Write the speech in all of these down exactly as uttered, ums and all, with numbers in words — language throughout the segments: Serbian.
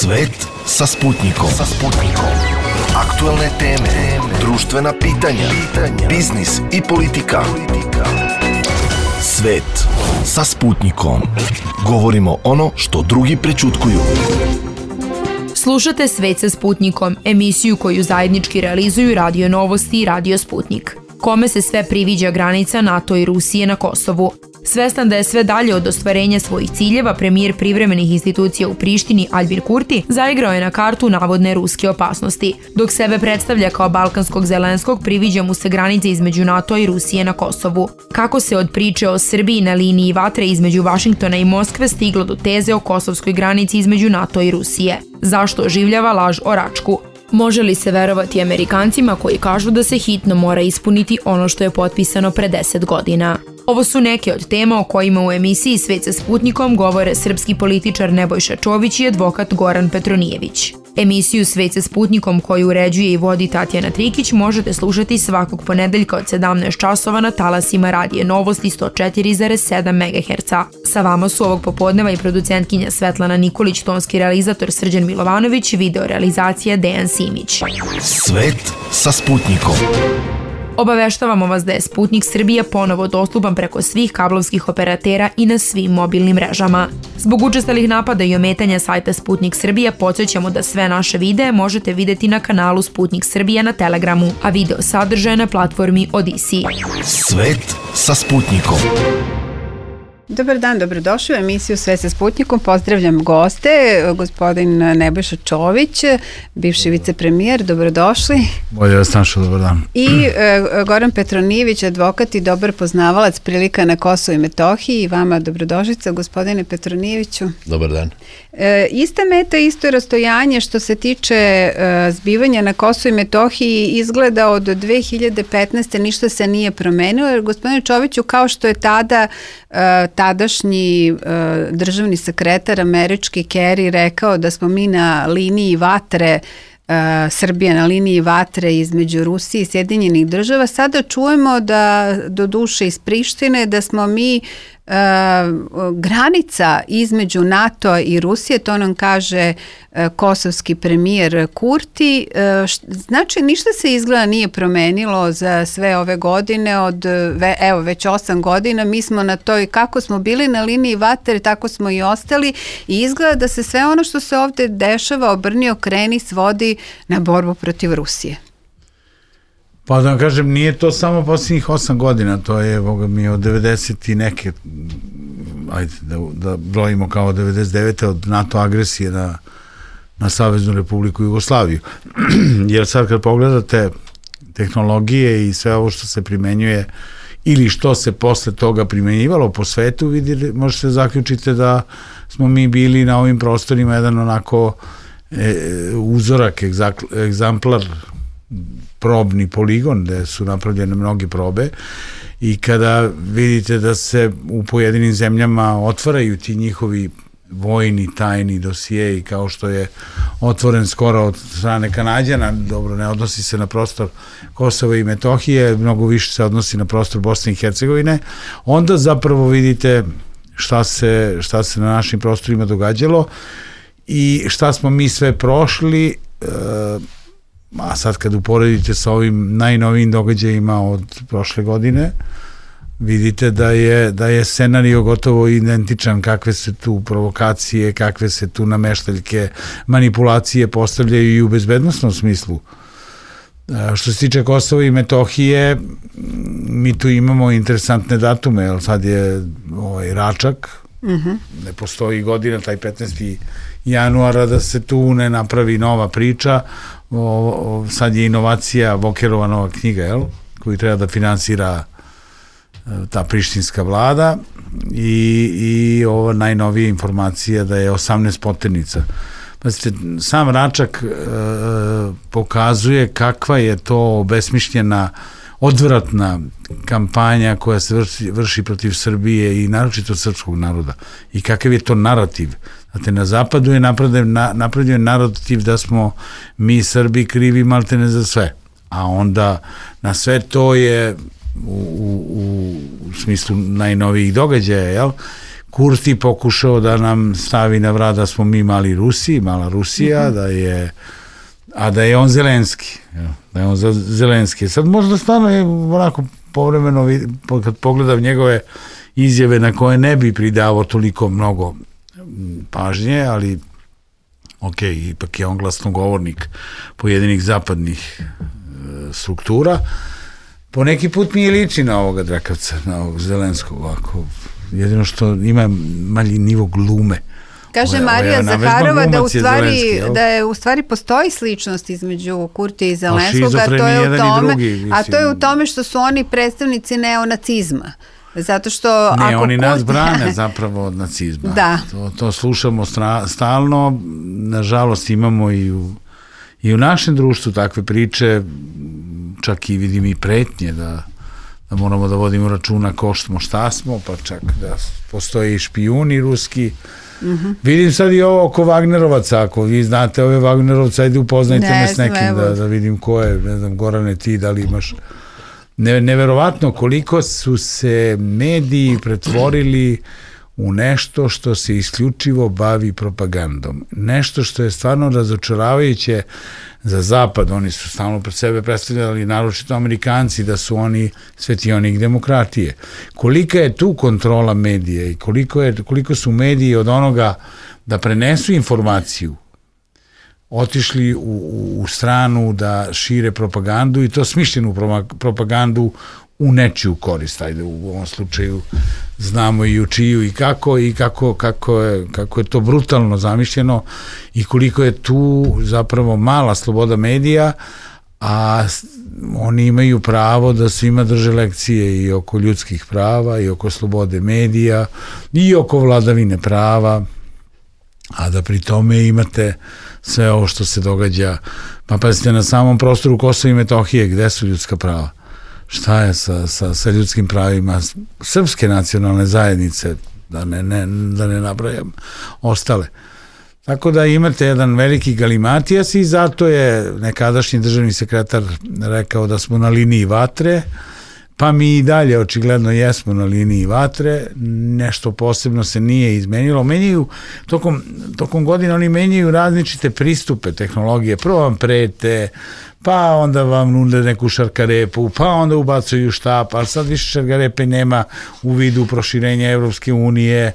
Svet sa Sputnikom. Sa Sputnikom. Aktuelne teme, društvena pitanja, biznis i politika. Svet sa Sputnikom. Govorimo ono što drugi prećutkuju. Slušate Svet sa Sputnikom, emisiju koju zajednički realizuju Radio Novosti i Radio Sputnik. Kome se sve priviđa granica NATO i Rusije na Kosovu. Svestan da je sve dalje od ostvarenja svojih ciljeva, premijer privremenih institucija u Prištini Aljbin Kurti zaigrao je na kartu navodne ruske opasnosti. Dok sebe predstavlja kao balkanskog Zelenskog, priviđa mu se granice između NATO i Rusije na Kosovu. Kako se od priče o Srbiji na liniji vatre između Vašingtona i Moskve stiglo do teze o kosovskoj granici između NATO i Rusije? Zašto oživljava laž o Račku? Može li se verovati Amerikancima koji kažu da se hitno mora ispuniti ono što je potpisano pre deset godina? Ovo su neke od tema o kojima u emisiji Svet sa Sputnikom govore srpski političar Nebojša Čović i advokat Goran Petronijević. Emisiju Svet sa Sputnikom koju uređuje i vodi Tatjana Trikić možete slušati svakog ponedeljka od sedamnaest časova na talasima Radije Novosti sto četiri zarez sedam megaherca. Sa vama su ovog popodneva i producentkinja Svetlana Nikolić, tonski realizator Srđan Milovanović, video realizacija Dejan Simić. Svet sa Sputnikom. Obaveštavamo vas da je Sputnik Srbija ponovo dostupan preko svih kablovskih operatera i na svim mobilnim mrežama. Zbog učestalih napada i ometanja sajta Sputnik Srbija podsjećamo da sve naše videe možete videti na kanalu Sputnik Srbija na Telegramu, a video sadržaje na platformi Odisi. Svet sa Sputnikom. Dobar dan, dobrodošli u emisiju Sve sa Sputnikom. Pozdravljam goste, gospodin Nebojša Čović, bivši vicepremijer, dobrodošli. Bolje vas našao, dobar dan. I e, Goran Petronijević, advokat i dobar poznavalac prilika na Kosovu i Metohiji. I vama dobrodošlica, gospodine Petronijeviću. Dobar dan. E, ista meta, isto rastojanje što se tiče e, zbivanja na Kosovu i Metohiji izgleda od dve hiljade petnaeste. ništa se nije promenilo, jer gospodine Čoviću, kao što je tada e, tadašnji uh, državni sekretar američki Kerry rekao da smo mi na liniji vatre, uh, Srbija na liniji vatre između Rusije i Sjedinjenih država, sada čujemo da, do duše iz Prištine, da smo mi Uh, granica između NATO i Rusije, to nam kaže uh, kosovski premijer Kurti. Uh, š, znači ništa se izgleda nije promenilo za sve ove godine, od ve, evo već osam godina mi smo na toj, kako smo bili na liniji vatre, tako smo i ostali i izgleda da se sve ono što se ovde dešava obrni okreni svodi na borbu protiv Rusije. Pa da vam kažem, nije to samo posljednjih osam godina, to je, boga mi, od devedeset i neke, ajde da, da brojimo kao devedeset devete od NATO agresije na, na Saveznu Republiku Jugoslaviju. Jer sad kad pogledate tehnologije i sve ovo što se primenjuje ili što se posle toga primenjivalo po svetu, vidite, možete zaključiti da smo mi bili na ovim prostorima jedan onako e, uzorak, egzak, egzamplar, probni poligon gde su napravljene mnoge probe i kada vidite da se u pojedinim zemljama otvaraju ti njihovi vojni tajni dosijeji, kao što je otvoren skoro od strane Kanađana, dobro, ne odnosi se na prostor Kosova i Metohije, mnogo više se odnosi na prostor Bosne i Hercegovine, onda zapravo vidite šta se, šta se na našim prostorima događalo i šta smo mi sve prošli. e, A sad kad uporedite sa ovim najnovijim događajima od prošle godine, vidite da je, da je scenario gotovo identičan, kakve se tu provokacije, kakve se tu nameštaljke, manipulacije postavljaju i u bezbednosnom smislu. Što se tiče Kosova i Metohije, mi tu imamo interesantne datume, jer sad je ovaj Račak, mm-hmm. ne postoji godina, taj petnaesti januara, da se tu ne napravi nova priča. O, o, sad je inovacija Vokerova nova knjiga, jel? Koju treba da finansira ta prištinska vlada i, i ova najnovija informacija da je osamnaest poternica. Pazite, sam Račak e, pokazuje kakva je to besmišljena, odvratna kampanja koja se vrši, vrši protiv Srbije i naročito srpskog naroda i kakav je to narativ. Znate, na zapadu je napravljen, na, napravljen narativ da smo mi Srbi krivi maltene za sve, a onda na sve to je u, u, u smislu najnovijih događaja, jel, Kurti pokušao da nam stavi na vrat da smo mi mali Rusi, mala Rusija, mm-hmm. da je, a da je on Zelenski. Da je on Zelenski. Sad možda stvarno je onako povremeno, kad pogledam njegove izjave na koje ne bi pridavao toliko mnogo pažnje, ali ok, ipak je on glasnogovornik pojedinih zapadnih e, struktura. Po neki put mi je liči na ovoga Drakavca, na ovog Zelenskog, ovako, jedino što ima malji nivo glume. Kaže Ovo, Marija Zaharova da u stvari je da je u stvari postoji sličnost između Kurtija i Zelenskog, a to je u tome, drugi, a to je u tome što su oni predstavnici neonacizma. Zato što ne, ako oni Kurti... nas brane zapravo od nacizma. Da. To, to slušamo stra, stalno, nažalost imamo i u, i u našem društvu takve priče, čak i vidim i pretnje da, da moramo da vodimo računa ko smo, šta smo, pa čak da postoje i špijuni ruski. Mm-hmm. Vidim sad i ovo oko Wagnerovaca, ako vi znate ove Wagnerovca, ajde upoznajte ne, me s nekim da, da vidim ko je, ne znam, Gorane, ti da li imaš... Ne, neverovatno koliko su se mediji pretvorili u nešto što se isključivo bavi propagandom. Nešto što je stvarno razočaravajuće za Zapad. Oni su stalno pred sebe predstavljali, naročito Amerikanci, da su oni svetionik demokratije. Kolika je tu kontrola medija i koliko, je, koliko su mediji od onoga da prenesu informaciju otišli u, u, u stranu da šire propagandu i to smišljenu propagandu u nečiju korist. Ajde, u ovom slučaju znamo i u čiju i kako i kako, kako, je, kako je to brutalno zamišljeno i koliko je tu zapravo mala sloboda medija, a oni imaju pravo da svima drže lekcije i oko ljudskih prava i oko slobode medija i oko vladavine prava, a da pri tome imate sve ovo što se događa, pa pazite, na samom prostoru Kosova i Metohije, gde su ljudska prava? Šta je sa, sa, sa ljudskim pravima srpske nacionalne zajednice, da ne, ne, da ne nabrajam ostale. Tako da imate jedan veliki galimatijas i zato je nekadašnji državni sekretar rekao da smo na liniji vatre, pa mi i dalje očigledno jesmo na liniji vatre, nešto posebno se nije izmenilo. Menjaju, tokom, tokom godina oni menjaju različite pristupe tehnologije, prvo vam prete, pa onda vam nude neku šarkarepu, pa onda ubacuju štap, ali sad više šarkarepe nema u vidu proširenja Evropske unije,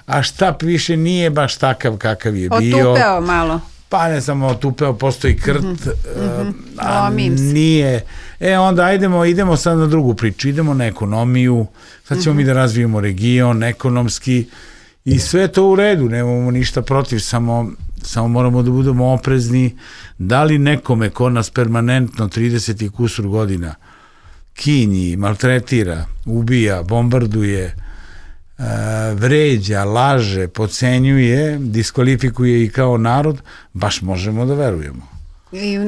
a štap više nije baš takav kakav je bio. Otupeo malo. Pa ne samo otupeo, postoji krt, mm-hmm. a nije. E onda ajdemo, idemo sad na drugu priču, idemo na ekonomiju, sad ćemo mm-hmm. mi da razvijemo region, ekonomski, i sve to u redu, nemamo ništa protiv, samo, samo moramo da budemo oprezni, da li nekome ko nas permanentno trideset i kusur godina kinji, maltretira, ubija, bombarduje, vređa, laže, podcenjuje, diskvalifikuje i kao narod, baš možemo da verujemo. I,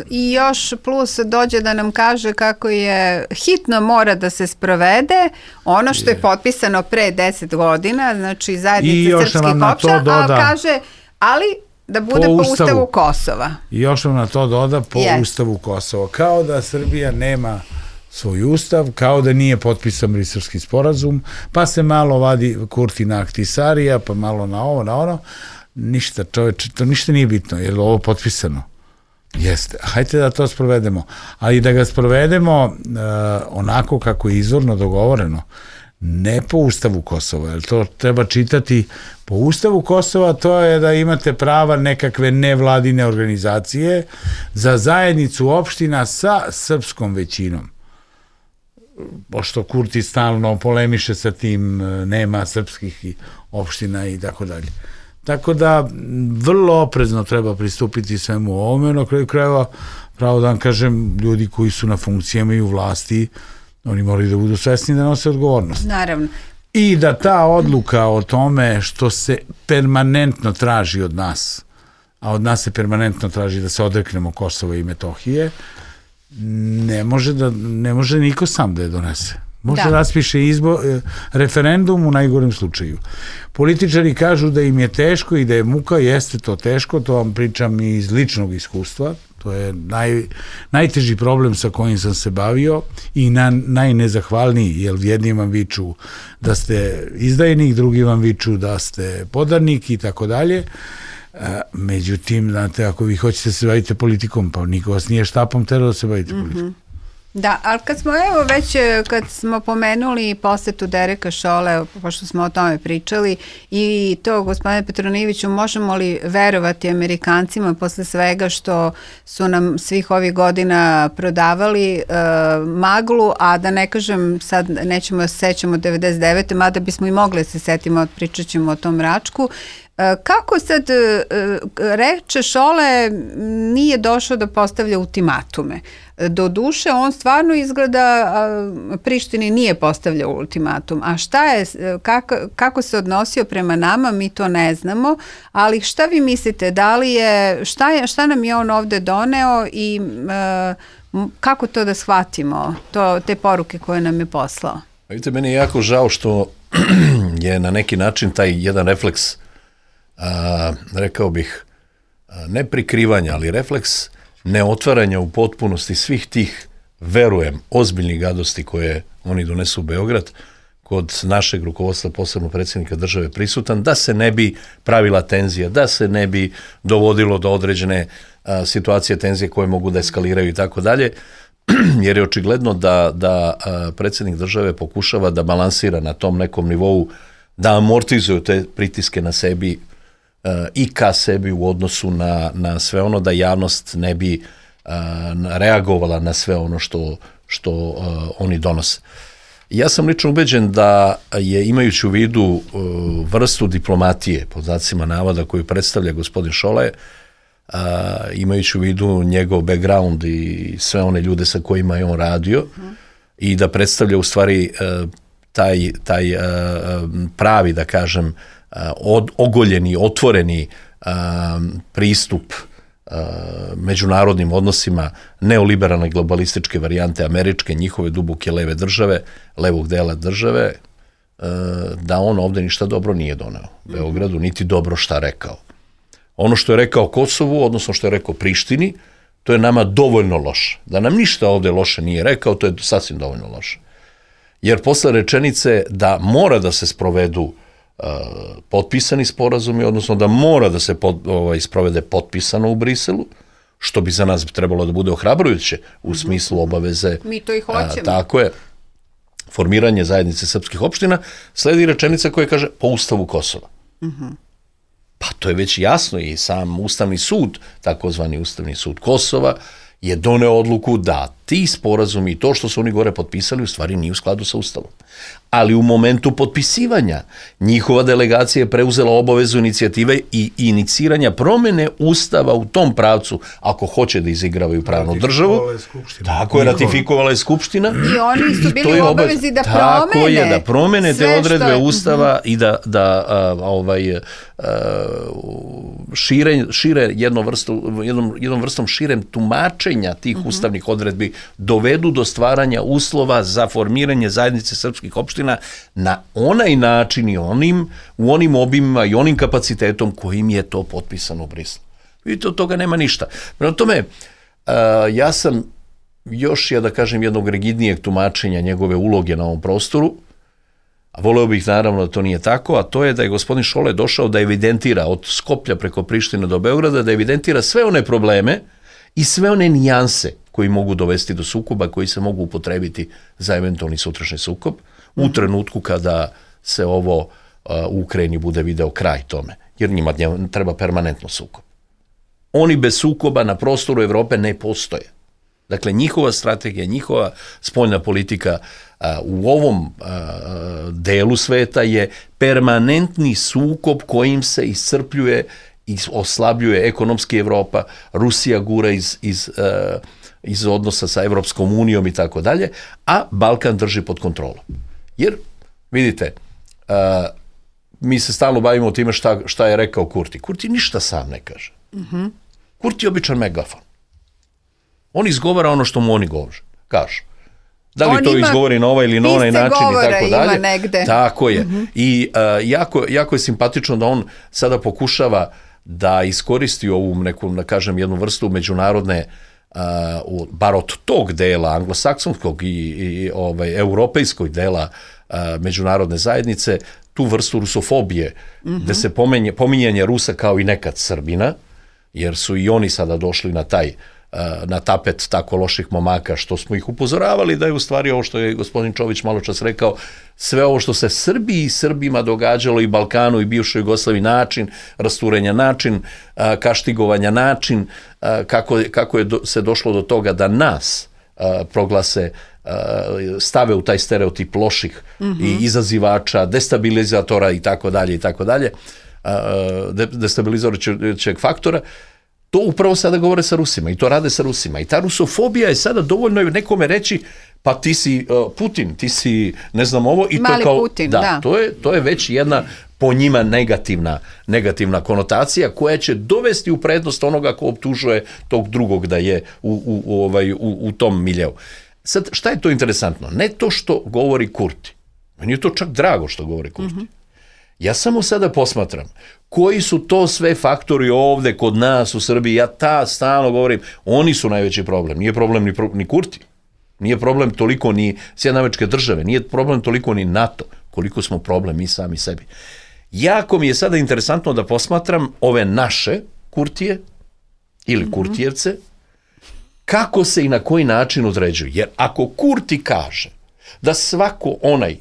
I još plus dođe da nam kaže kako je hitno mora da se sprovede ono što je, je potpisano pre deset godina, znači zajednica srpskih opština, a kaže, ali da bude po, po ustavu, ustavu Kosova. I još vam na to doda po yes. ustavu Kosova. Kao da Srbija nema svoj ustav, kao da nije potpisan Briselski sporazum, pa se malo vadi Kurti na Ahtisarija, pa malo na ovo, na ono. Ništa, čoveče, to ništa nije bitno, je li ovo potpisano? Jeste. Hajde da to sprovedemo. Ali da ga sprovedemo uh, onako kako je izvorno dogovoreno, ne po ustavu Kosova, jer to treba čitati po ustavu Kosova, to je da imate prava nekakve nevladine organizacije za zajednicu opština sa srpskom većinom. Pošto Kurti stalno polemiše sa tim, nema srpskih opština i tako dalje. Tako da vrlo oprezno treba pristupiti svemu ovome, na kraju krajeva, pravo da vam kažem, ljudi koji su na funkcijama i u vlasti, oni moraju da budu svesni da nose odgovornost. Naravno. I da ta odluka o tome što se permanentno traži od nas, a od nas se permanentno traži da se odreknemo Kosova i Metohije, ne može, da, ne može niko sam da je donese. Može da raspiše izbo, referendum u najgorem slučaju. Političari kažu da im je teško i da je muka, jeste to teško, to vam pričam iz ličnog iskustva, To je naj, najteži problem sa kojim sam se bavio i na, najnezahvalniji, jer jedni vam viču da ste izdajnik, drugi vam viču da ste podarnik i tako dalje. Međutim, znate, ako vi hoćete se bavite politikom, pa niko vas nije štapom terao da se bavite politikom. Mm-hmm. Da, ali kad smo, evo već, kad smo pomenuli posetu Dereka Šole, pošto smo o tome pričali, i to, gospodine Petronijeviću, možemo li verovati Amerikancima posle svega što su nam svih ovih godina prodavali e, maglu, a da ne kažem, sad nećemo da se sećamo devedeset devete mada bismo i mogli da se setimo, pričat ćemo o tom Račku. Kako sad reče Šole nije došao da postavlja ultimatume? Do duše on stvarno izgleda Prištini nije postavljao ultimatum. A šta je, kako, kako se odnosio prema nama, mi to ne znamo, ali šta vi mislite, da li je, šta, je, šta nam je on ovde doneo i kako to da shvatimo, to, te poruke koje nam je poslao? Vidite, meni je jako žao što je na neki način taj jedan refleks A, rekao bih, ne prikrivanja, ali refleks neotvaranja u potpunosti svih tih, verujem, ozbiljnih gadosti koje oni donesu u Beograd, kod našeg rukovodstva, posebno predsjednika države prisutan, da se ne bi pravila tenzija, da se ne bi dovodilo do određene a, situacije tenzije koje mogu da eskaliraju i tako dalje, jer je očigledno da, da a, predsjednik države pokušava da balansira na tom nekom nivou, da amortizuju te pritiske na sebi i ka sebi u odnosu na, na sve ono, da javnost ne bi uh, reagovala na sve ono što, što uh, oni donose. Ja sam lično ubeđen da je, imajući u vidu uh, vrstu diplomatije, pod znacima navoda, koju predstavlja gospodin Šole, uh, imajući u vidu njegov background i sve one ljude sa kojima je on radio, uh-huh. i da predstavlja u stvari uh, taj, taj uh, pravi, da kažem, Od, ogoljeni, otvoreni um, pristup uh, međunarodnim odnosima neoliberalne globalističke varijante američke, njihove duboke leve države, levog dela države, uh, da on ovde ništa dobro nije doneo Beogradu, niti dobro šta rekao. Ono što je rekao Kosovu, odnosno što je rekao Prištini, to je nama dovoljno loše. Da nam ništa ovde loše nije rekao, to je sasvim dovoljno loše. Jer posle rečenice da mora da se sprovedu Uh, potpisani sporazumi, odnosno da mora da se pod, ovaj, sprovede potpisano u Briselu, što bi za nas trebalo da bude ohrabrujuće u mm-hmm. smislu obaveze. Mi to i hoćemo. A, tako je. Formiranje zajednice srpskih opština, sledi rečenica koja kaže po Ustavu Kosova. Mm-hmm. Pa to je već jasno i sam Ustavni sud, takozvani Ustavni sud Kosova, je doneo odluku da ti sporazumi i to što su oni gore potpisali u stvari nije u skladu sa Ustavom. Ali u momentu potpisivanja njihova delegacija je preuzela obavezu inicijative i iniciranja promene Ustava u tom pravcu, ako hoće da izigravaju pravnu državu. Tako je, ratifikovala je Skupština. I oni su bili u obavezi da promene. Tako je, da promene te odredbe je... Ustava i da, da a, ovaj, a, šire, šire jednom, vrstu, jednom, jednom vrstom širem tumačenja tih uh-huh. ustavnih odredbi dovedu do stvaranja uslova za formiranje zajednice srpskih opština na onaj način i onim, u onim obimima i onim kapacitetom kojim je to potpisano u Briselu. Vidite, od toga nema ništa. Prema tome, uh, ja sam još, ja da kažem, jednog rigidnijeg tumačenja njegove uloge na ovom prostoru, a voleo bih naravno da to nije tako, a to je da je gospodin Šole došao da evidentira od Skoplja preko Prištine do Beograda, da evidentira sve one probleme i sve one nijanse koji mogu dovesti do sukoba, koji se mogu upotrebiti za eventualni sutrašnji sukob, u trenutku kada se ovo uh, u Ukrajini bude video kraj tome, jer njima treba permanentno sukob. Oni bez sukoba na prostoru Evrope ne postoje. Dakle, njihova strategija, njihova spoljna politika uh, u ovom uh, delu sveta je permanentni sukob kojim se iscrpljuje i oslabljuje ekonomski Evropa, Rusija gura iz, iz, uh, iz odnosa sa Evropskom unijom i tako dalje, a Balkan drži pod kontrolom. Jer, vidite, uh, mi se stalno bavimo time šta, šta je rekao Kurti. Kurti ništa sam ne kaže. Mm-hmm. Kurti je običan megafon. On izgovara ono što mu oni govore, kažu. Da li on to izgovori na ovaj ili na onaj način i tako dalje. Negde. Tako je. Mm-hmm. I uh, jako, jako je simpatično da on sada pokušava da iskoristi ovu neku, da kažem, jednu vrstu međunarodne, uh, bar od tog dela anglosaksonskog i, i ovaj, europejskog dela uh, međunarodne zajednice, tu vrstu rusofobije, mm-hmm. gde se pomenje, pominjanje Rusa kao i nekad Srbina, jer su i oni sada došli na taj na tapet tako loših momaka, što smo ih upozoravali da je u stvari ovo što je gospodin Čović malo čas rekao, sve ovo što se Srbiji i Srbima događalo i Balkanu i bivšoj Jugoslaviji, način rasturenja, način kaštigovanja, način kako, kako je do, se došlo do toga da nas proglase, stave u taj stereotip loših mm-hmm. i izazivača, destabilizatora i tako dalje i tako dalje, destabilizirajućeg faktora. To upravo sada govore sa Rusima i to rade sa Rusima. I ta rusofobija je sada dovoljno nekome reći pa ti si uh, Putin, ti si ne znam ovo. I Mali to kao, Putin, da. da. To je, to je već jedna po njima negativna, negativna konotacija koja će dovesti u prednost onoga ko optužuje tog drugog da je u, u, u, ovaj, u, u tom miljeu. Sad, šta je to interesantno? Ne to što govori Kurti. Meni je to čak drago što govori Kurti. Mm-hmm. Ja samo sada posmatram koji su to sve faktori ovde kod nas u Srbiji. Ja ta stalno govorim, oni su najveći problem. Nije problem ni, ni Kurti. Nije problem toliko ni Sjedinjene Američke Države. Nije problem toliko ni NATO. Koliko smo problem mi sami sebi. Jako mi je sada interesantno da posmatram ove naše Kurtije ili mm-hmm. Kurtijevce, kako se i na koji način određuju. Jer ako Kurti kaže da svako onaj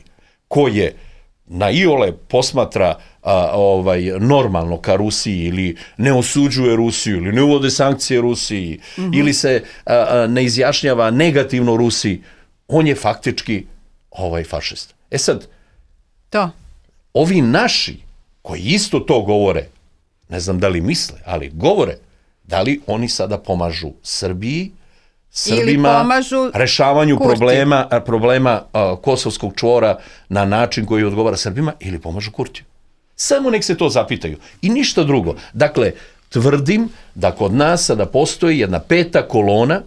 ko je na iole posmatra a, ovaj, normalno ka Rusiji ili ne osuđuje Rusiju ili ne uvode sankcije Rusiji mm-hmm. ili se a, a, ne izjašnjava negativno Rusiji, on je faktički ovaj fašista. E sad, to. Ovi naši koji isto to govore, ne znam da li misle, ali govore, da li oni sada pomažu Srbiji, Srbima, rešavanju Kurti. problema, problema uh, kosovskog čvora na način koji odgovara Srbima ili pomažu Kurtiju. Samo nek se to zapitaju. I ništa drugo. Dakle, tvrdim da kod nas sada postoji jedna peta kolona,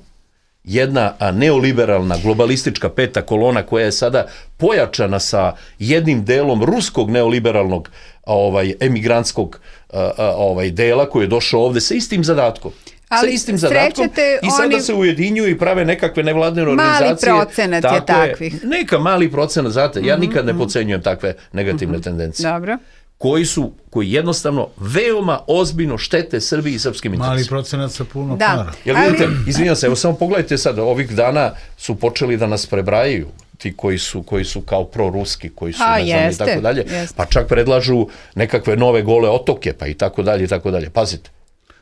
jedna neoliberalna, globalistička peta kolona koja je sada pojačana sa jednim delom ruskog neoliberalnog ovaj, emigrantskog uh, ovaj, dela koji je došao ovde sa istim zadatkom. Ali sa istim zadatkom i sada oni... se ujedinjuju i prave nekakve nevladine organizacije. Mali procenat je takvih. Je, neka mali procenat, znate, ja nikad ne podcenjujem takve negativne mm-hmm. tendencije. Dobro. Koji su, koji jednostavno veoma ozbiljno štete Srbiji i srpskim interesima. Mali procenat sa puno da. para. Jel vidite, ali... izvinjam se, evo samo pogledajte sad, ovih dana su počeli da nas prebrajaju ti koji su, koji su kao proruski, koji su, A, ne znam, jeste, i tako dalje, jeste. pa čak predlažu nekakve nove gole otoke, pa i tako dalje, i tako dalje. Pazite.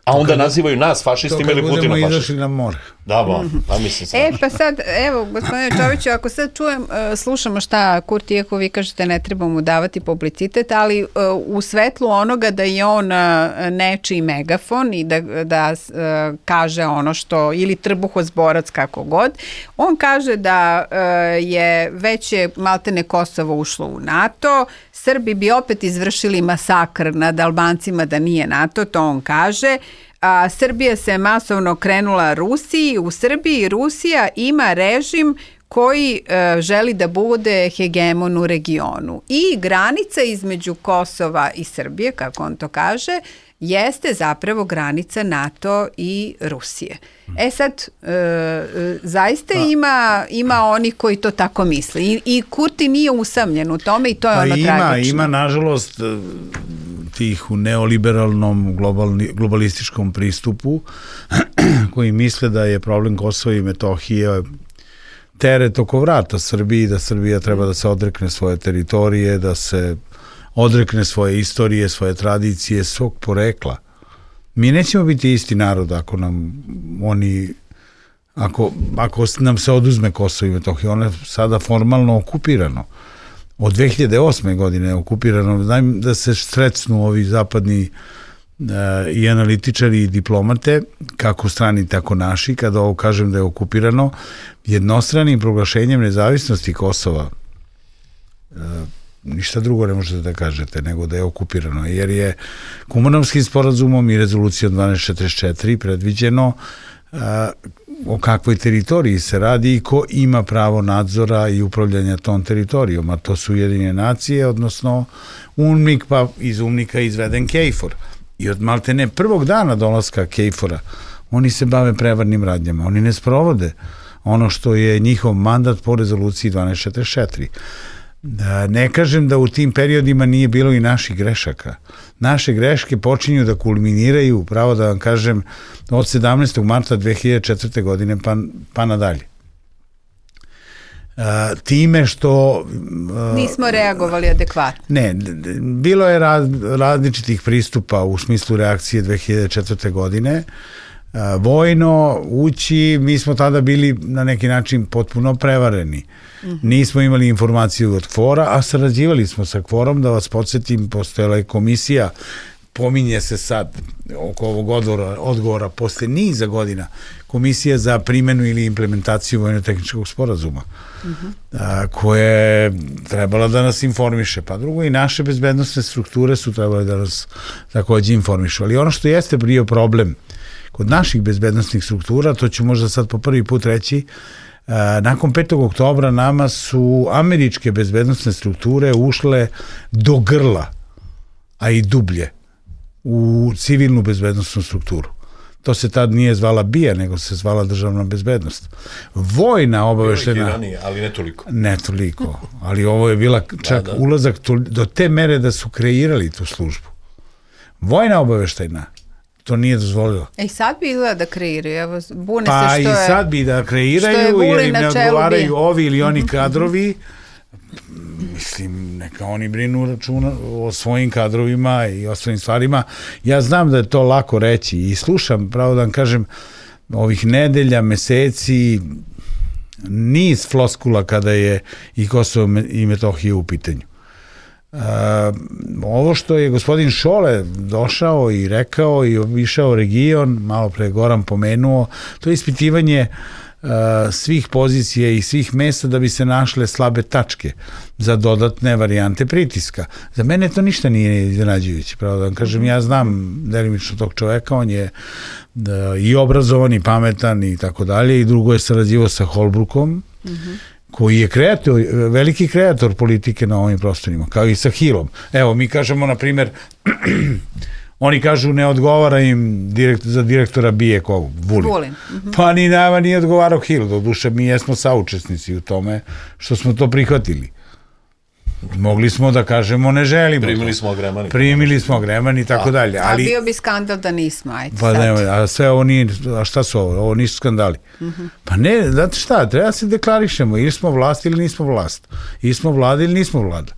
A onda nazivaju nas fašistima ili Putina fašistima. To kad budemo izašli na more. Da, ba, pa mislim sam. E, pa sad, evo, gospodine Čoviću, ako sad čujem, uh, slušamo šta Kurti, iako vi kažete ne treba mu davati publicitet, ali uh, u svetlu onoga da je on uh, nečiji megafon i da, da uh, kaže ono što, ili trbuhozborac kako god, on kaže da uh, je već je maltene Kosovo ušlo u NATO, Srbi bi opet izvršili masakr nad Albancima da nije NATO, to on kaže. A Srbija se masovno krenula Rusiji. U Srbiji Rusija ima režim koji e, želi da bude hegemon u regionu. I granica između Kosova i Srbije, kako on to kaže, jeste zapravo granica NATO i Rusije. E sad, e, e, zaista pa, ima, ima oni koji to tako misle. I, i Kurti nije usamljen u tome i to je pa ono ima, tragično. Ima, nažalost, tih u neoliberalnom globalni, globalističkom pristupu koji misle da je problem Kosova i Metohije teret oko vrata Srbiji, da Srbija treba da se odrekne svoje teritorije, da se odrekne svoje istorije, svoje tradicije, svog porekla. Mi nećemo biti isti narod ako nam oni, ako, ako nam se oduzme Kosovo i Metohija. Ono je sada formalno okupirano. Od dve hiljade osme godine je okupirano, da se sretnu ovi zapadni uh, i analitičari i diplomate, kako strani, tako naši, kada ovo kažem da je okupirano, jednostranim proglašenjem nezavisnosti Kosova, uh, ništa drugo ne možete da kažete nego da je okupirano, jer je Kumanovskim sporazumom i rezolucijom dvanaest četrdeset četiri predviđeno uh, o kakvoj teritoriji se radi i ko ima pravo nadzora i upravljanja tom teritorijom, a to su Ujedinjene nacije, odnosno UNMIK, pa iz UNMIK-a izveden KFOR. I od maltene prvog dana dolaska Kejfora oni se bave prevarnim radnjama, oni ne sprovode ono što je njihov mandat po rezoluciji dvanaest četrdeset četiri. Ne kažem da u tim periodima nije bilo i naših grešaka. Naše greške počinju da kulminiraju, pravo da vam kažem, od sedamnaestog marta dve hiljade četvrte. godine pa, pa nadalje. Uh, time što... Uh, Nismo reagovali adekvatno. Ne, bilo je raz, različitih pristupa u smislu reakcije dve hiljade četvrte. godine. Uh, vojno, ući, mi smo tada bili na neki način potpuno prevareni. Mm-hmm. Nismo imali informaciju od KFOR-a, a sarađivali smo sa KFOR-om, da vas podsjetim, postojala je komisija, pominje se sad oko ovog odgovora, odgovora posle niza godina, komisija za primjenu ili implementaciju vojno-tehničkog sporazuma, uh-huh. a, koja je trebala da nas informiše. Pa drugo, i naše bezbednostne strukture su trebale da nas takođe informišu. Ali ono što jeste bio problem kod naših bezbednostnih struktura, to ću možda sad po prvi put reći, a, nakon petog oktobra nama su američke bezbednostne strukture ušle do grla, a i dublje, u civilnu bezbednostnu strukturu. To se tad nije zvala B I A, nego se zvala državna bezbednost. Vojna obaveštena... Ranije, ali ne toliko. Ne toliko, ali ovo je bila čak da, da. ulazak to, do te mere da su kreirali tu službu. Vojna obaveštena to nije dozvolilo. E i sad bi izgleda da kreiraju, evo, bune pa se što je... Pa i sad bi da kreiraju, jer im ne odgovaraju ovi ili oni kadrovi. Mislim, neka oni brinu računa o svojim kadrovima i ostalim stvarima. Ja znam da je to lako reći i slušam, pravo da vam kažem, ovih nedelja, meseci, niz floskula kada je i Kosovo i Metohija u pitanju. Uh, ovo što je gospodin Šole došao i rekao i obišao region, malo pre Goran pomenuo, to je ispitivanje uh, svih pozicija i svih mesta da bi se našle slabe tačke za dodatne varijante pritiska. Za mene to ništa nije iznenađujuće, pravo da vam kažem, ja znam delimično tog čoveka, on je da, i obrazovan i pametan i tako dalje, i drugo je sarađivao sa Holbrookom, mm-hmm. koji je kreator, veliki kreator politike na ovim prostorima, kao i sa Hillom. Evo, mi kažemo, na primjer, oni kažu ne odgovara im direkt, za direktora B I A kog, Vulin. Vulin. Mm-hmm. Pa ni nama nije odgovarao Hill, do duše mi jesmo saučesnici u tome što smo to prihvatili. Mogli smo da kažemo ne želimo. Primili smo agremani. Primili smo agremani i tako dalje. Ali, a bio bi skandal da nismo, ajde pa ne, a sve ovo nije, a šta su ovo? Ovo nisu skandali. Mm-hmm. Pa ne, znate šta, treba se deklarišemo, ili smo vlast ili nismo vlast. Ili smo vlada ili nismo vlada.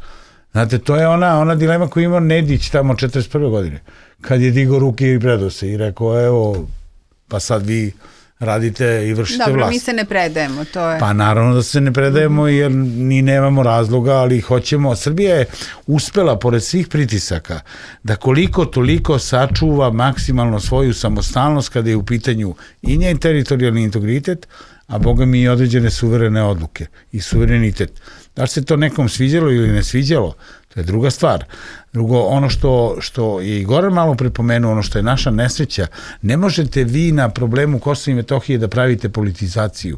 Znate, to je ona, ona dilema koju ima Nedić tamo četrdeset prve. godine, kad je digao ruke i predao se i rekao, evo, pa sad vi radite i vršite Dobro, vlast. Dobro, mi se ne predajemo, to je... Pa naravno da se ne predajemo, mm-hmm. jer ni nemamo razloga, ali hoćemo. Srbija je uspela, pored svih pritisaka, da koliko toliko sačuva maksimalno svoju samostalnost kada je u pitanju i njen teritorijalni integritet, a boga mi i određene suverene odluke i suverenitet. Da li se to nekom sviđalo ili ne sviđalo, to je druga stvar. Drugo, ono što, što je i Goran malo prepomenuo, ono što je naša nesreća, ne možete vi na problemu Kosova i Metohije da pravite politizaciju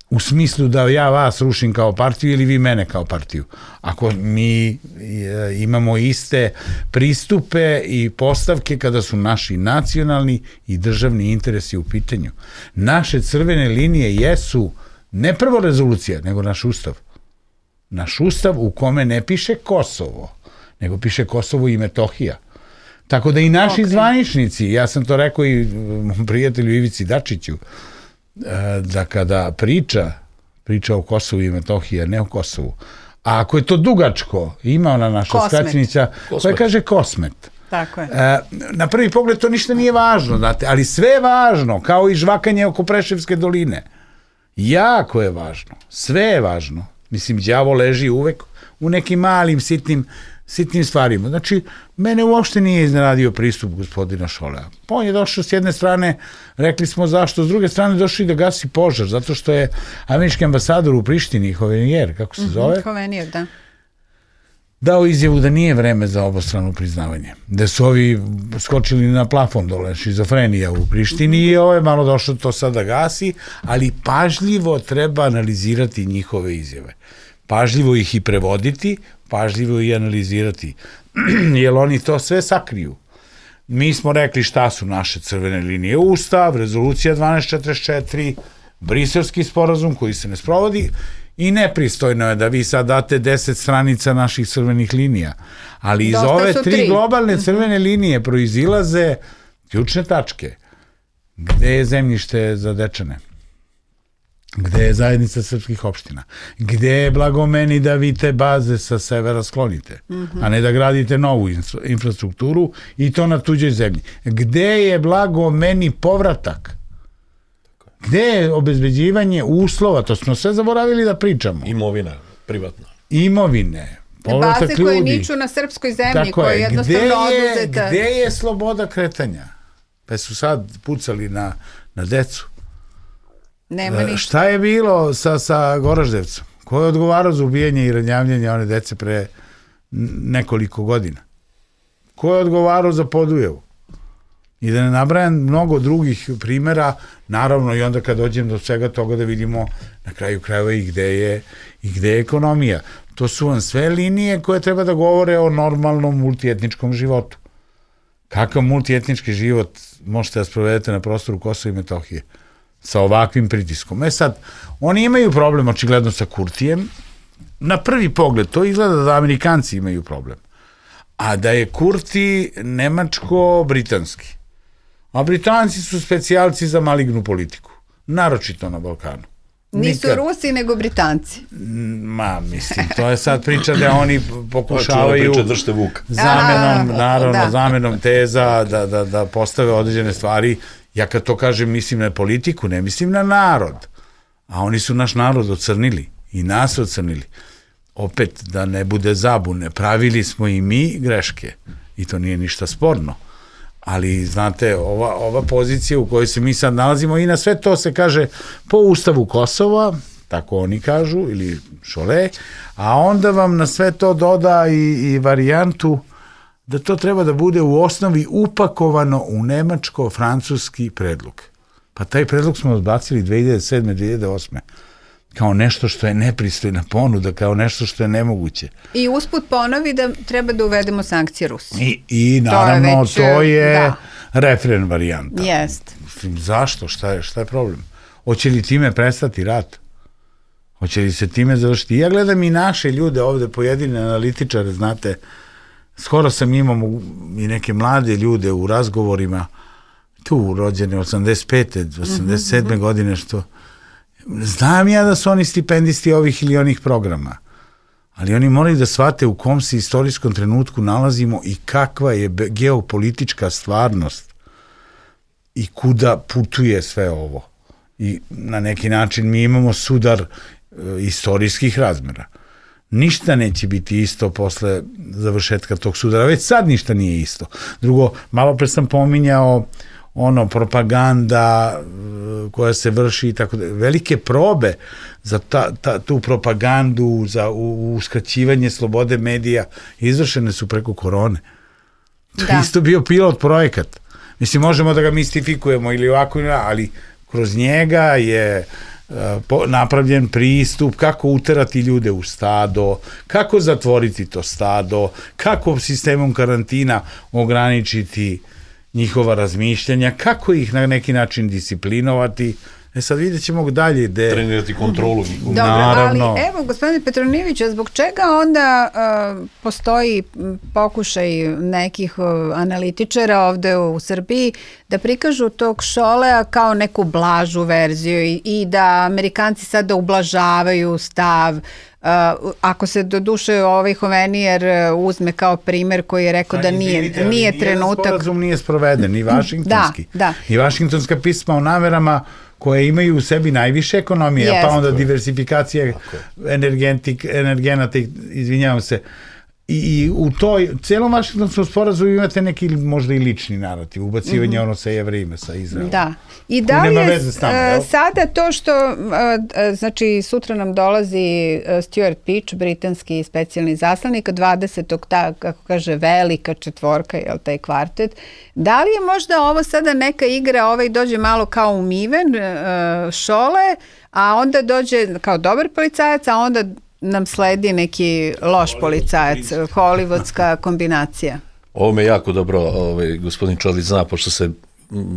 u smislu da ja vas rušim kao partiju ili vi mene kao partiju. Ako mi imamo iste pristupe i postavke kada su naši nacionalni i državni interesi u pitanju. Naše crvene linije jesu ne prvo rezolucija, nego naš ustav. Naš ustav u kome ne piše Kosovo, nego piše Kosovo i Metohija. Tako da i naši okay. zvaničnici, ja sam to rekao i mom prijatelju Ivici Dačiću, da kada priča, priča o Kosovu i Metohiji, a ne o Kosovu, a ako je to dugačko, ima ona naša skraćenica koja kaže Kosmet. Tako je. Na prvi pogled to ništa nije važno, znate, ali sve je važno, kao i žvakanje oko Preševske doline. Jako je važno, sve je važno. Mislim, đavo leži uvek u nekim malim, sitnim, sitnim stvarima. Znači, mene uopšte nije iznenadio pristup gospodina Šolea. Pa on je došao s jedne strane, rekli smo zašto, s druge strane došao i da gasi požar, zato što je američki ambasador u Prištini, Hovenijer, kako se zove? Mm-hmm, Hovenijer, da. Dao izjavu da nije vreme za obostrano priznavanje. Da su ovi skočili na plafon dole, šizofrenija u Prištini i ovo je malo došlo to sad da gasi, ali pažljivo treba analizirati njihove izjave. Pažljivo ih i prevoditi, pažljivo i analizirati. Jer oni to sve sakriju. mi smo rekli šta su naše crvene linije. Ustav, rezolucija dvanaest četrdeset četiri, Briselski sporazum koji se ne sprovodi i nepristojno je da vi sad date deset stranica naših crvenih linija. Ali iz ove tri, tri globalne crvene linije proizilaze ključne tačke. Gde je zemljište za Dečane? Gde je zajednica srpskih opština? Gde je blago meni da vi te baze sa severa sklonite, a ne da gradite novu infrastrukturu i to na tuđoj zemlji? Gde je blago meni povratak? Gde je obezbeđivanje uslova? To smo sve zaboravili da pričamo. Imovina, privatna. Imovine, povratak ljudi. Baze koje niču na srpskoj zemlji, koje je jednostavno oduzeta. Gde je sloboda kretanja? Pa su sad pucali na, na decu. Nema ništa. Šta je bilo sa, sa Goraždevcom? Ko je odgovarao za ubijanje i ranjavljanje one dece pre nekoliko godina? Ko je odgovarao za Podujevu? I da ne nabrajam mnogo drugih primjera, naravno i onda kad dođem do svega toga da vidimo na kraju krajeva i gde je, i gde je ekonomija. To su vam sve linije koje treba da govore o normalnom multietničkom životu. Kakav multietnički život možete da sprovedete na prostoru Kosova i Metohije sa ovakvim pritiskom? E sad, oni imaju problem očigledno sa Kurtijem. Na prvi pogled to izgleda da Amerikanci imaju problem, a da je Kurti nemačko-britanski. A Britanci su specijalci za malignu politiku, naročito na Balkanu. Nisu Nikad... Rusi, nego Britanci. Ma, mislim, to je sad priča da oni pokušavaju priča, držite vuk. zamenom, a, naravno, da. zamenom teza da, da, da postave određene stvari. Ja kad to kažem, mislim na politiku, ne mislim na narod. A oni su naš narod ocrnili i nas ocrnili. Opet, da ne bude zabune, pravili smo i mi greške i to nije ništa sporno. Ali, znate, ova, ova pozicija u kojoj se mi sad nalazimo i na sve to se kaže po Ustavu Kosova, tako oni kažu, ili Šole, a onda vam na sve to doda i, i varijantu da to treba da bude u osnovi upakovano u nemačko-francuski predlog. Pa taj predlog smo odbacili dve hiljade sedme. dve hiljade osme. kao nešto što je nepristojna ponuda, kao nešto što je nemoguće. I usput ponovi da treba da uvedemo sankcije Rusiji. I, i naravno, to je, već, to je da. refren varijanta. Jest. Zašto? Šta je, šta je problem? Hoće li time prestati rat? Hoće li se time završiti? Ja gledam i naše ljude ovde, pojedine analitičare, znate, skoro sam imao i neke mlade ljude u razgovorima, tu rođene osamdeset pete osamdeset sedme Mm-hmm. godine, što znam ja da su oni stipendisti ovih ili onih programa, ali oni moraju da shvate u kom se istorijskom trenutku nalazimo i kakva je geopolitička stvarnost i kuda putuje sve ovo. I na neki način mi imamo sudar e, istorijskih razmera. Ništa neće biti isto posle završetka tog sudara, već sad ništa nije isto. Drugo, malo pre sam pominjao ono, propaganda koja se vrši i tako da, velike probe za ta, ta, tu propagandu, za uskraćivanje slobode medija izvršene su preko korone. To da. je isto bio pilot projekat. Mislim, možemo da ga mistifikujemo ili ovako, ali kroz njega je uh, po, napravljen pristup kako uterati ljude u stado, kako zatvoriti to stado, kako sistemom karantina ograničiti njihova razmišljanja, kako ih na neki način disciplinovati. E sad vidjet ćemo dalje. De... Trenirati kontrolu. Dobro, naravno. Ali evo, gospodine Petronijeviću, zbog čega onda uh, postoji pokušaj nekih uh, analitičara ovde u Srbiji da prikažu tog Šolea kao neku blažu verziju i, i da Amerikanci sada ublažavaju stav. Uh, ako se do duše ovaj Hovenijer uzme kao primer koji je rekao da, da nije, izvinite, nije trenutak... Nijedan sporazum nije sproveden, ni vašingtonski. Da, da. Ni vašingtonska pisma o namerama koje imaju u sebi najviše ekonomije, yes. pa onda diversifikacija energenata, izvinjavam se. I, i u toj, celom vašingtonskom sporazumu imate neki možda i lični narativ, ubacivanje mm-hmm. ono sa Jevrejima, sa Izraelom. Da. I da li je nama, uh, sada to što, uh, znači sutra nam dolazi uh, Stuart Peach, britanski specijalni zaslanik, dvadesetog ta, kako kaže, velika četvorka, jel, taj kvartet, da li je možda ovo sada neka igra, ovaj dođe malo kao umiven, uh, Šole, a onda dođe kao dobar policajac, a onda nam sledi neki loš policajac, hollywoodska kombinacija. ovo me jako dobro ovaj, gospodin Čović zna, pošto se,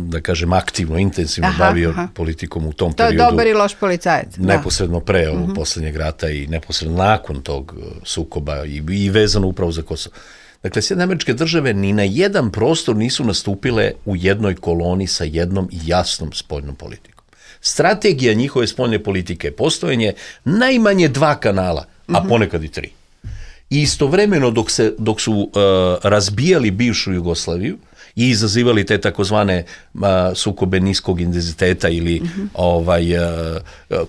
da kažem, aktivno, intenzivno aha, bavio aha. politikom u tom to periodu. To je dobar i loš policajac. Neposredno pre ovog uh-huh. poslednjeg rata i neposredno nakon tog sukoba i, i vezano upravo za Kosovo. Dakle, Sjedinjene Američke Države ni na jedan prostor nisu nastupile u jednoj koloni sa jednom jasnom spoljnom politikom. Strategija njihove spoljne politike je postojanje najmanje dva kanala, a ponekad i tri. I istovremeno dok, se, dok su uh, razbijali bivšu Jugoslaviju i izazivali te takozvane uh, sukobe niskog intenziteta ili uh-huh. ovaj, uh,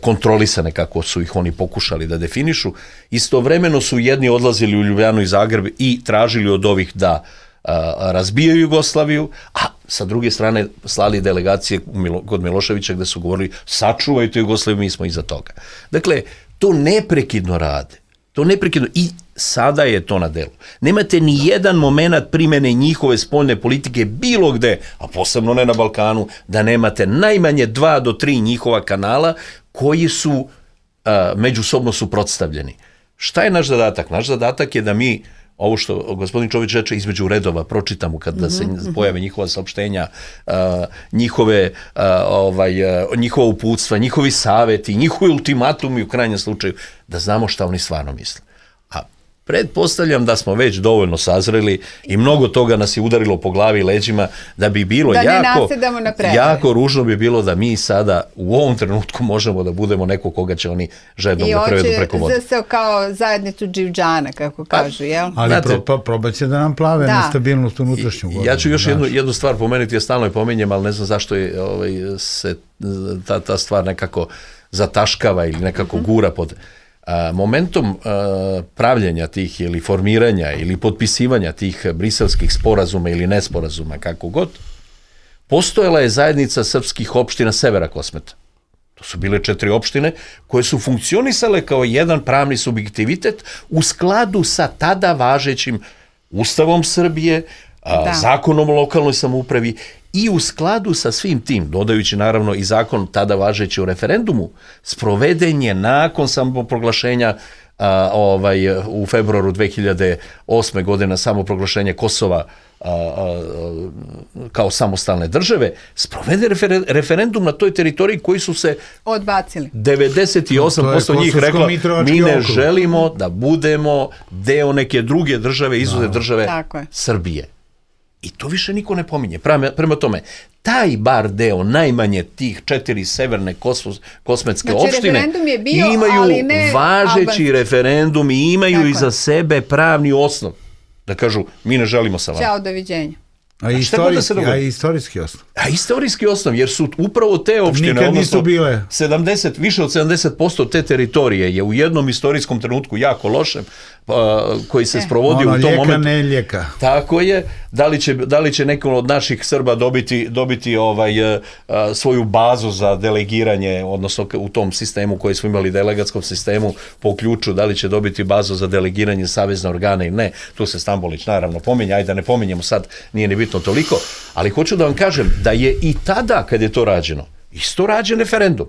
kontrolisane, kako su ih oni pokušali da definišu, istovremeno su jedni odlazili u Ljubljanu i Zagreb i tražili od ovih da uh, razbijaju Jugoslaviju, a sa druge strane slali delegacije kod Miloševića gde su govorili sačuvajte Jugoslaviju, mi smo iza toga. Dakle, to neprekidno rade. To neprekidno i sada je to na delu. Nemate ni jedan moment primene njihove spoljne politike bilo gde, a posebno ne na Balkanu, da nemate najmanje dva do tri njihova kanala koji su a, međusobno suprotstavljeni. Šta je naš zadatak? Naš zadatak je da mi ovo što gospodin Čović reče između redova pročitamo kada se pojave njihova saopštenja, uh, njihove, uh, ovaj, uh, njihova uputstva, njihovi saveti, njihovi ultimatumi u krajnjem slučaju, da znamo šta oni stvarno misle. A pretpostavljam da smo već dovoljno sazreli i mnogo toga nas je udarilo po glavi i leđima da bi bilo da jako, jako ružno bi bilo da mi sada u ovom trenutku možemo da budemo neko koga će oni žednom da prevedu preko vode. I hoće kao zajednicu dživđana, kako kažu, jel? Ali znate, pro, pro, probat će da nam plave da. nestabilnost unutrašnju godinu. Ja ću još jednu, jednu stvar pomenuti, ja stalno je pominjem, ali ne znam zašto je, ovaj, se ta, ta stvar nekako zataškava ili nekako mm-hmm. gura pod... A, momentom a, pravljenja tih ili formiranja ili potpisivanja tih briselskih sporazuma ili nesporazuma, kako god, postojala je zajednica srpskih opština severa Kosmeta. To su bile četiri opštine koje su funkcionisale kao jedan pravni subjektivitet u skladu sa tada važećim Ustavom Srbije, a, zakonom o lokalnoj samoupravi i u skladu sa svim tim, dodajući naravno i zakon tada važeći o referendumu, sproveden je nakon samoproglašenja a, ovaj, u februaru dve hiljade osme godine samoproglašenja Kosova a, a, kao samostalne države, sprovede refer, referendum na toj teritoriji koji su se odbacili. devedeset osam posto njih rekla mi ne okru. želimo da budemo deo neke druge države, izuzev države Srbije. I to više niko ne pominje. Prema, prema tome, taj bar deo, najmanje tih četiri severne kosmos, kosmetske znači, opštine, bio, imaju važeći albanski. referendum i imaju Tako. iza sebe pravni osnov. Da kažu, mi ne želimo sa vama. Ćao, doviđenja. A, istorijski, a istorijski osnov. A istorijski osnov, jer su upravo te opštine, nikad nisu bile. sedamdeset, više od sedamdeset posto te teritorije je u jednom istorijskom trenutku jako lošem, pa, koji se e. sprovodi ono, u tom lijeka, momentu. Ne lijeka. Tako je. Da li će, da li će neko od naših Srba dobiti, dobiti ovaj, uh, svoju bazu za delegiranje, odnosno u tom sistemu koji smo imali, delegatskom sistemu po ključu, da li će dobiti bazu za delegiranje savezne organe ili ne. Tu se Stambolić naravno pominje, ajde da ne pominjemo sad, nije ni bitno toliko, ali hoću da vam kažem da je i tada kad je to rađeno, isto rađen referendum.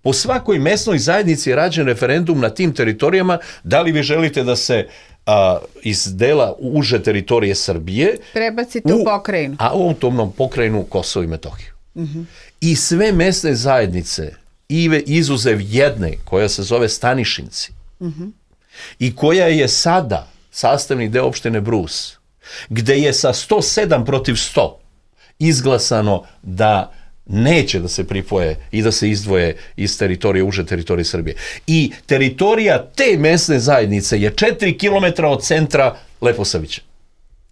Po svakoj mesnoj zajednici je rađen referendum na tim teritorijama, da li vi želite da se a, iz dela uže teritorije Srbije prebacite u, u pokrajinu. A u autonomnom pokrajinu Kosovo i Metohiju. Uh-huh. I sve mesne zajednice, ive izuzev jedne, koja se zove Stanišinci, uh-huh. i koja je sada sastavni deo opštine Brus, gde je sa sto sedam protiv sto izglasano da neće da se pripoje i da se izdvoje iz teritorije, uže teritorije Srbije. I teritorija te mesne zajednice je četiri kilometra od centra Leposavića,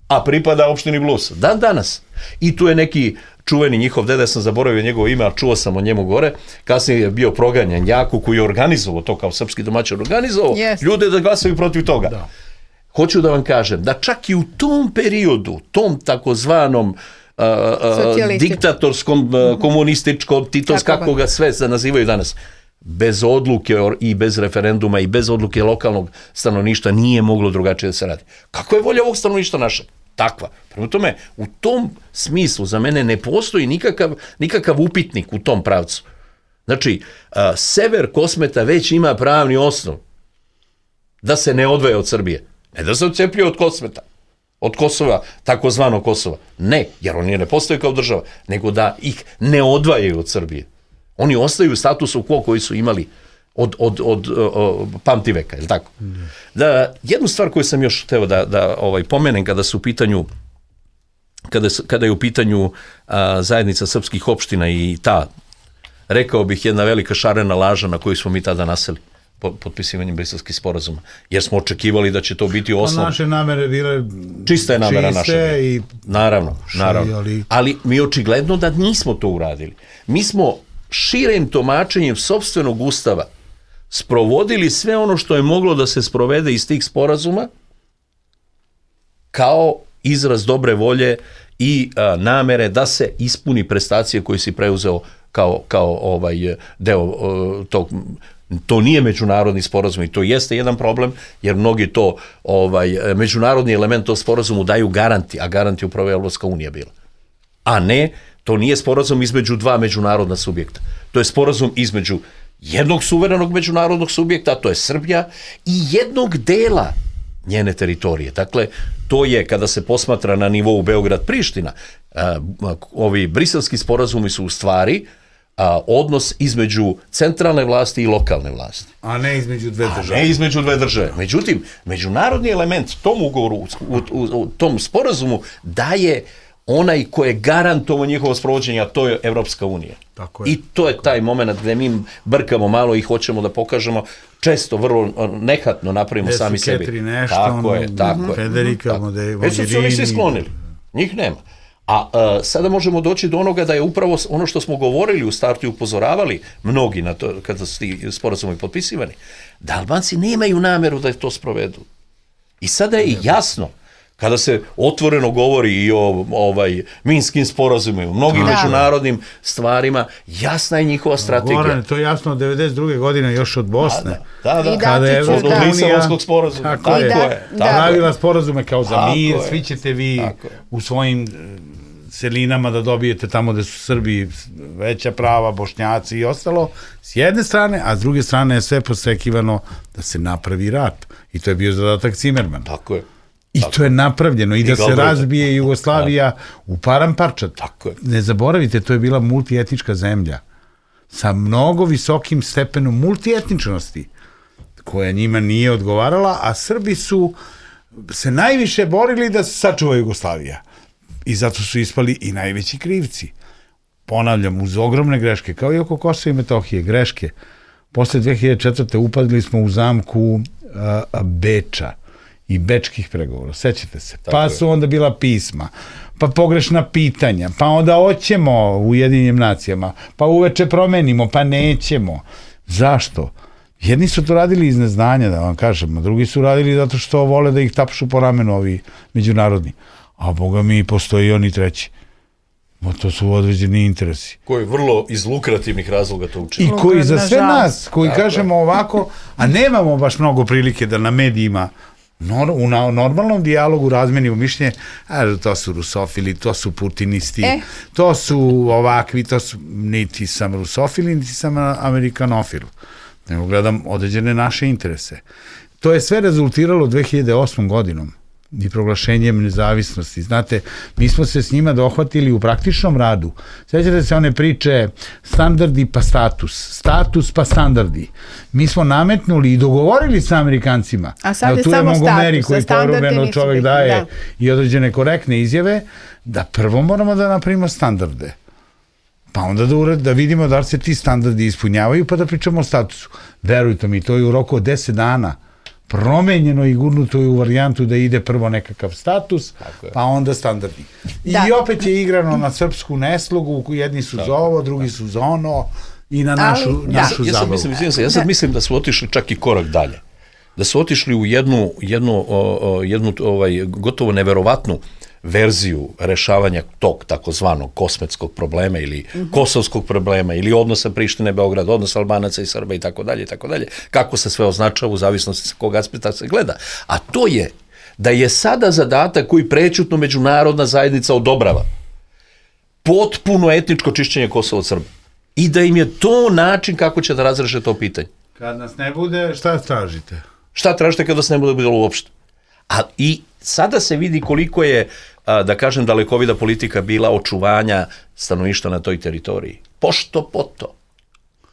a pripada opštini Blus. Dan danas. I tu je neki čuveni njihov deda, sam zaboravio njegovo ime, ali čuo sam o njemu gore, kasnije je bio proganjan Jaku koji je organizovao to kao srpski domaćin, organizovao yes. ljude da glasaju protiv toga. Da. Hoću da vam kažem da čak i u tom periodu, tom takozvanom Uh, uh, diktatorskom, uh, komunističkom, titos, kako ga sve se nazivaju danas, bez odluke i bez referenduma i bez odluke lokalnog stanovništva nije moglo drugačije da se radi. Kako je volja ovog stanovništva naša? Takva. Prema tome, u tom smislu za mene ne postoji nikakav, nikakav upitnik u tom pravcu. Znači, uh, sever Kosmeta već ima pravni osnov da se ne odvaja od Srbije. Ne da se odcepljuje od Kosmeta. od Kosova, takozvano Kosova. Ne, jer oni ne postoje kao država, nego da ih ne odvajaju od Srbije. Oni ostaju u statusu quo koji su imali od, od, od, od pamtiveka, je li tako? Da, jednu stvar koju sam još hteo da, da ovaj, pomenem kada su u pitanju kada, kada je u pitanju a, zajednica srpskih opština i ta, rekao bih, jedna velika šarena laža na koju smo mi tada naseli potpisivanjem briselskih sporazuma, jer smo očekivali da će to biti osnov. Pa naše namere bile čista je namera naša. I... Naravno, naravno. Ali... ali mi očigledno da nismo to uradili. Mi smo širim tumačenjem sopstvenog ustava sprovodili sve ono što je moglo da se sprovede iz tih sporazuma kao izraz dobre volje i a, namere da se ispuni prestacije koje si preuzeo kao, kao ovaj deo o, tog. To nije međunarodni sporazum i to jeste jedan problem, jer mnogi to, ovaj, međunarodni element tog sporazumu daju garanti, a garanti upravo je Evropska unija bila. A ne, to nije sporazum između dva međunarodna subjekta. To je sporazum između jednog suverenog međunarodnog subjekta, a to je Srbija, i jednog dela njene teritorije. Dakle, to je, kada se posmatra na nivou Beograd-Priština, ovi briselski sporazumi su u stvari a, odnos između centralne vlasti i lokalne vlasti. A ne između dve države. A ne između dve države. Međutim, međunarodni element tom ugovoru, u, u, u tom sporazumu daje onaj ko je garantovao njihovo sprovođenje, a to je Evropska unija. Tako je. I to je taj moment gde mi brkamo malo i hoćemo da pokažemo, često vrlo nehatno napravimo Desu sami sebi. Ketri nešto, tako ono, je, tako je. Federika, Mogherini. Već su se oni svi sklonili. Njih nema. A uh, sada možemo doći do onoga da je upravo ono što smo govorili u startu i upozoravali mnogi na to, kada su ti sporazumi potpisivani, da Albanci nemaju nameru da to sprovedu. I sada je jasno, kada se otvoreno govori i o ovaj, minskim sporazumima, mnogim da. međunarodnim stvarima, jasna je njihova strategija. Goran, to je jasno od devedeset druge godine još od Bosne. Da, da, da. Kada je od da. Lisabonskog sporazuma. Tako, tako je. je. Da. Pravila sporazume kao za tako mir, je. svi ćete vi u svojim celinama da dobijete tamo gde su Srbi veća prava, Bošnjaci i ostalo, s jedne strane, a s druge strane je sve postrekivano da se napravi rat. I to je bio zadatak Cimerman. Tako je. I tako. to je napravljeno. I, I da se razbije Jugoslavija tako. u param parčad. Tako je. Ne zaboravite, to je bila multietnička zemlja sa mnogo visokim stepenom multietničnosti koja njima nije odgovarala, a Srbi su se najviše borili da se sačuva Jugoslavija. I zato su ispali i najveći krivci. Ponavljam, uz ogromne greške, kao i oko Kosova i Metohije, greške. Posle dve hiljade četvrte upadli smo u zamku a, a, Beča i bečkih pregovora, sećate se. Tako pa je. Su onda bila pisma, pa pogrešna pitanja, pa onda hoćemo u Ujedinjenim nacijama, pa uveče promenimo, pa nećemo. Zašto? Jedni su to radili iz neznanja, da vam kažem, a drugi su radili zato što vole da ih tapšu po ramenu ovi međunarodni. A boga mi postoji oni treći. O, to su određeni interesi. Koji vrlo iz lukrativnih razloga to učinu. I koji za sve nas, koji tako kažemo ovako, a nemamo baš mnogo prilike da na medijima Nor, u na, normalnom dijalogu razmenimo mišljenje, a to su rusofili, to su putinisti, e. to su ovakvi, to su, niti sam rusofili, niti sam amerikanofil. Nego gledam određene naše interese. To je sve rezultiralo dve hiljade osmom godinom i proglašenjem nezavisnosti. Znate, mi smo se s njima dohvatili u praktičnom radu. Sjećate se one priče standardi pa status, status pa standardi. Mi smo nametnuli i dogovorili sa Amerikancima. A sad je samo status, koji porubeno čovek daje da. I određene korektne izjave, da prvo moramo da napravimo standarde. Pa onda da, ured, da vidimo da li se ti standardi ispunjavaju, pa da pričamo o statusu. Verujte mi, to je u roku od deset dana promenjeno i gurnuto je u varijantu da ide prvo nekakav status, pa onda standardi. I da. opet je igrano na srpsku neslogu, jedni su tako, za ovo, drugi su za ono, i na našu, ali, našu ja, zabavu. Ja, mislim, ja sad mislim da su otišli čak i korak dalje. Da su otišli u jednu, jednu, o, o, jednu ovaj, gotovo neverovatnu verziju rešavanja tog takozvanog kosmetskog problema ili mm-hmm. kosovskog problema ili odnosa Prištine, Beograd, odnosa Albanaca i Srba i tako dalje i tako dalje, kako se sve označava u zavisnosti sa kog aspekta se gleda. A to je da je sada zadatak koji prećutno međunarodna zajednica odobrava potpuno etničko čišćenje Kosova od Srba i da im je to način kako će da razreše to pitanje. Kad nas ne bude, šta tražite? Šta tražite kada nas ne bude bilo uopšte? A i sada se vidi koliko je, da kažem, dalekovida politika bila očuvanja stanovništva na toj teritoriji. Pošto poto.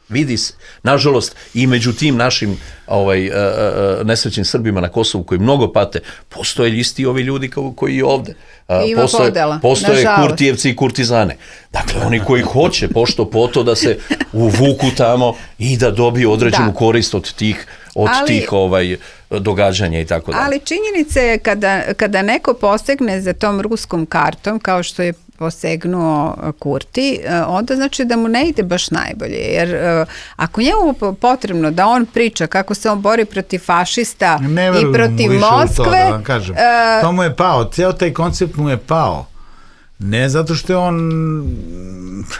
Vidi se, nažalost, i među tim našim ovaj, uh, uh, nesrećnim Srbima na Kosovu koji mnogo pate, postoje isti ovi ljudi kao, koji i ovde. Uh, Ima postoje, podela, postoje nažalost. Kurtijevci i kurtizane. Dakle, oni koji hoće pošto poto da se uvuku tamo i da dobiju određenu da. korist od tih, od ali, tih ovaj, događanja i tako dalje. Ali činjenica je kada, kada neko posegne za tom ruskom kartom, kao što je posegnuo Kurti, onda znači da mu ne ide baš najbolje, jer ako njemu potrebno da on priča kako se on bori protiv fašista i protiv Moskve, to, da vam kažem. Uh, to mu je pao, ceo taj koncept mu je pao. Ne zato što je on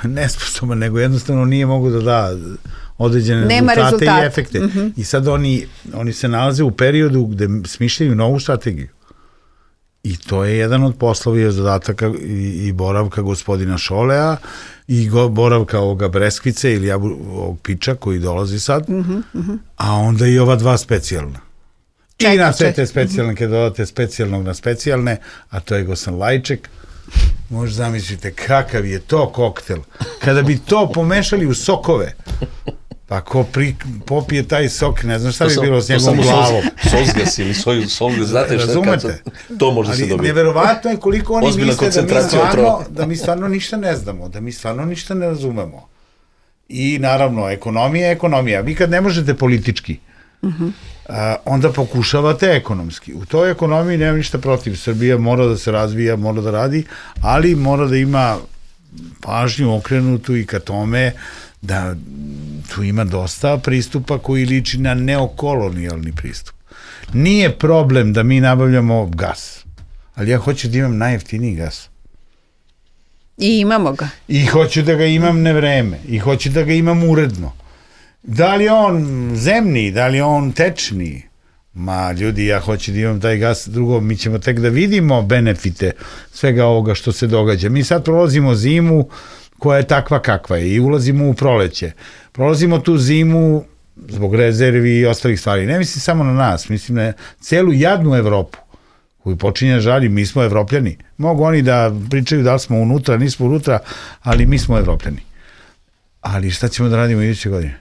nesposoban, nego jednostavno nije mogu da da određene rezultate, rezultate i efekte. Mm-hmm. I sad oni, oni se nalaze u periodu gde smišljaju novu strategiju. I to je jedan od poslova i zadataka i, i boravka gospodina Šolea i go, boravka ovoga Breskvice ili jabu, ovog Piča koji dolazi sad, mm-hmm, mm-hmm. a onda i ova dva specijalna. Čekaj, I na sve te specijalne, mm-hmm. kada dodate specijalnog na specijalne, a to je Gosan Lajček, možda zamislite kakav je to koktel. Kada bi to pomešali u sokove, pa ko pri, popije taj sok, ne znam šta bi bilo s njegovom glavom. Sosgas ili soju, solgas, znate šta? Razumete? To može se dobiti. Ali neverovatno je koliko oni misle da mi, stvarno, da mi stvarno ništa ne znamo, da mi stvarno ništa ne razumemo. I naravno, ekonomija je ekonomija. Vi kad ne možete politički, uh-huh. a, onda pokušavate ekonomski. U toj ekonomiji nema ništa protiv. Srbija mora da se razvija, mora da radi, ali mora da ima pažnju okrenutu i ka tome da tu ima dosta pristupa koji liči na neokolonijalni pristup. Nije problem da mi nabavljamo gas, ali ja hoću da imam najjeftiniji gas. I imamo ga. I hoću da ga imam na vreme. I hoću da ga imam uredno. Da li on zemni, da li on tečni? Ma, ljudi, ja hoću da imam taj gas. Drugo, mi ćemo tek da vidimo benefite svega ovoga što se događa. Mi sad prolazimo zimu koja je takva kakva je i ulazimo u proleće. Prolazimo tu zimu zbog rezervi i ostalih stvari. Ne mislim samo na nas, mislim na celu jadnu Evropu koju počinje žalji, mi smo Evropljani. Mogu oni da pričaju da li smo unutra, nismo unutra, ali mi smo Evropljani. Ali šta ćemo da radimo iduće godine?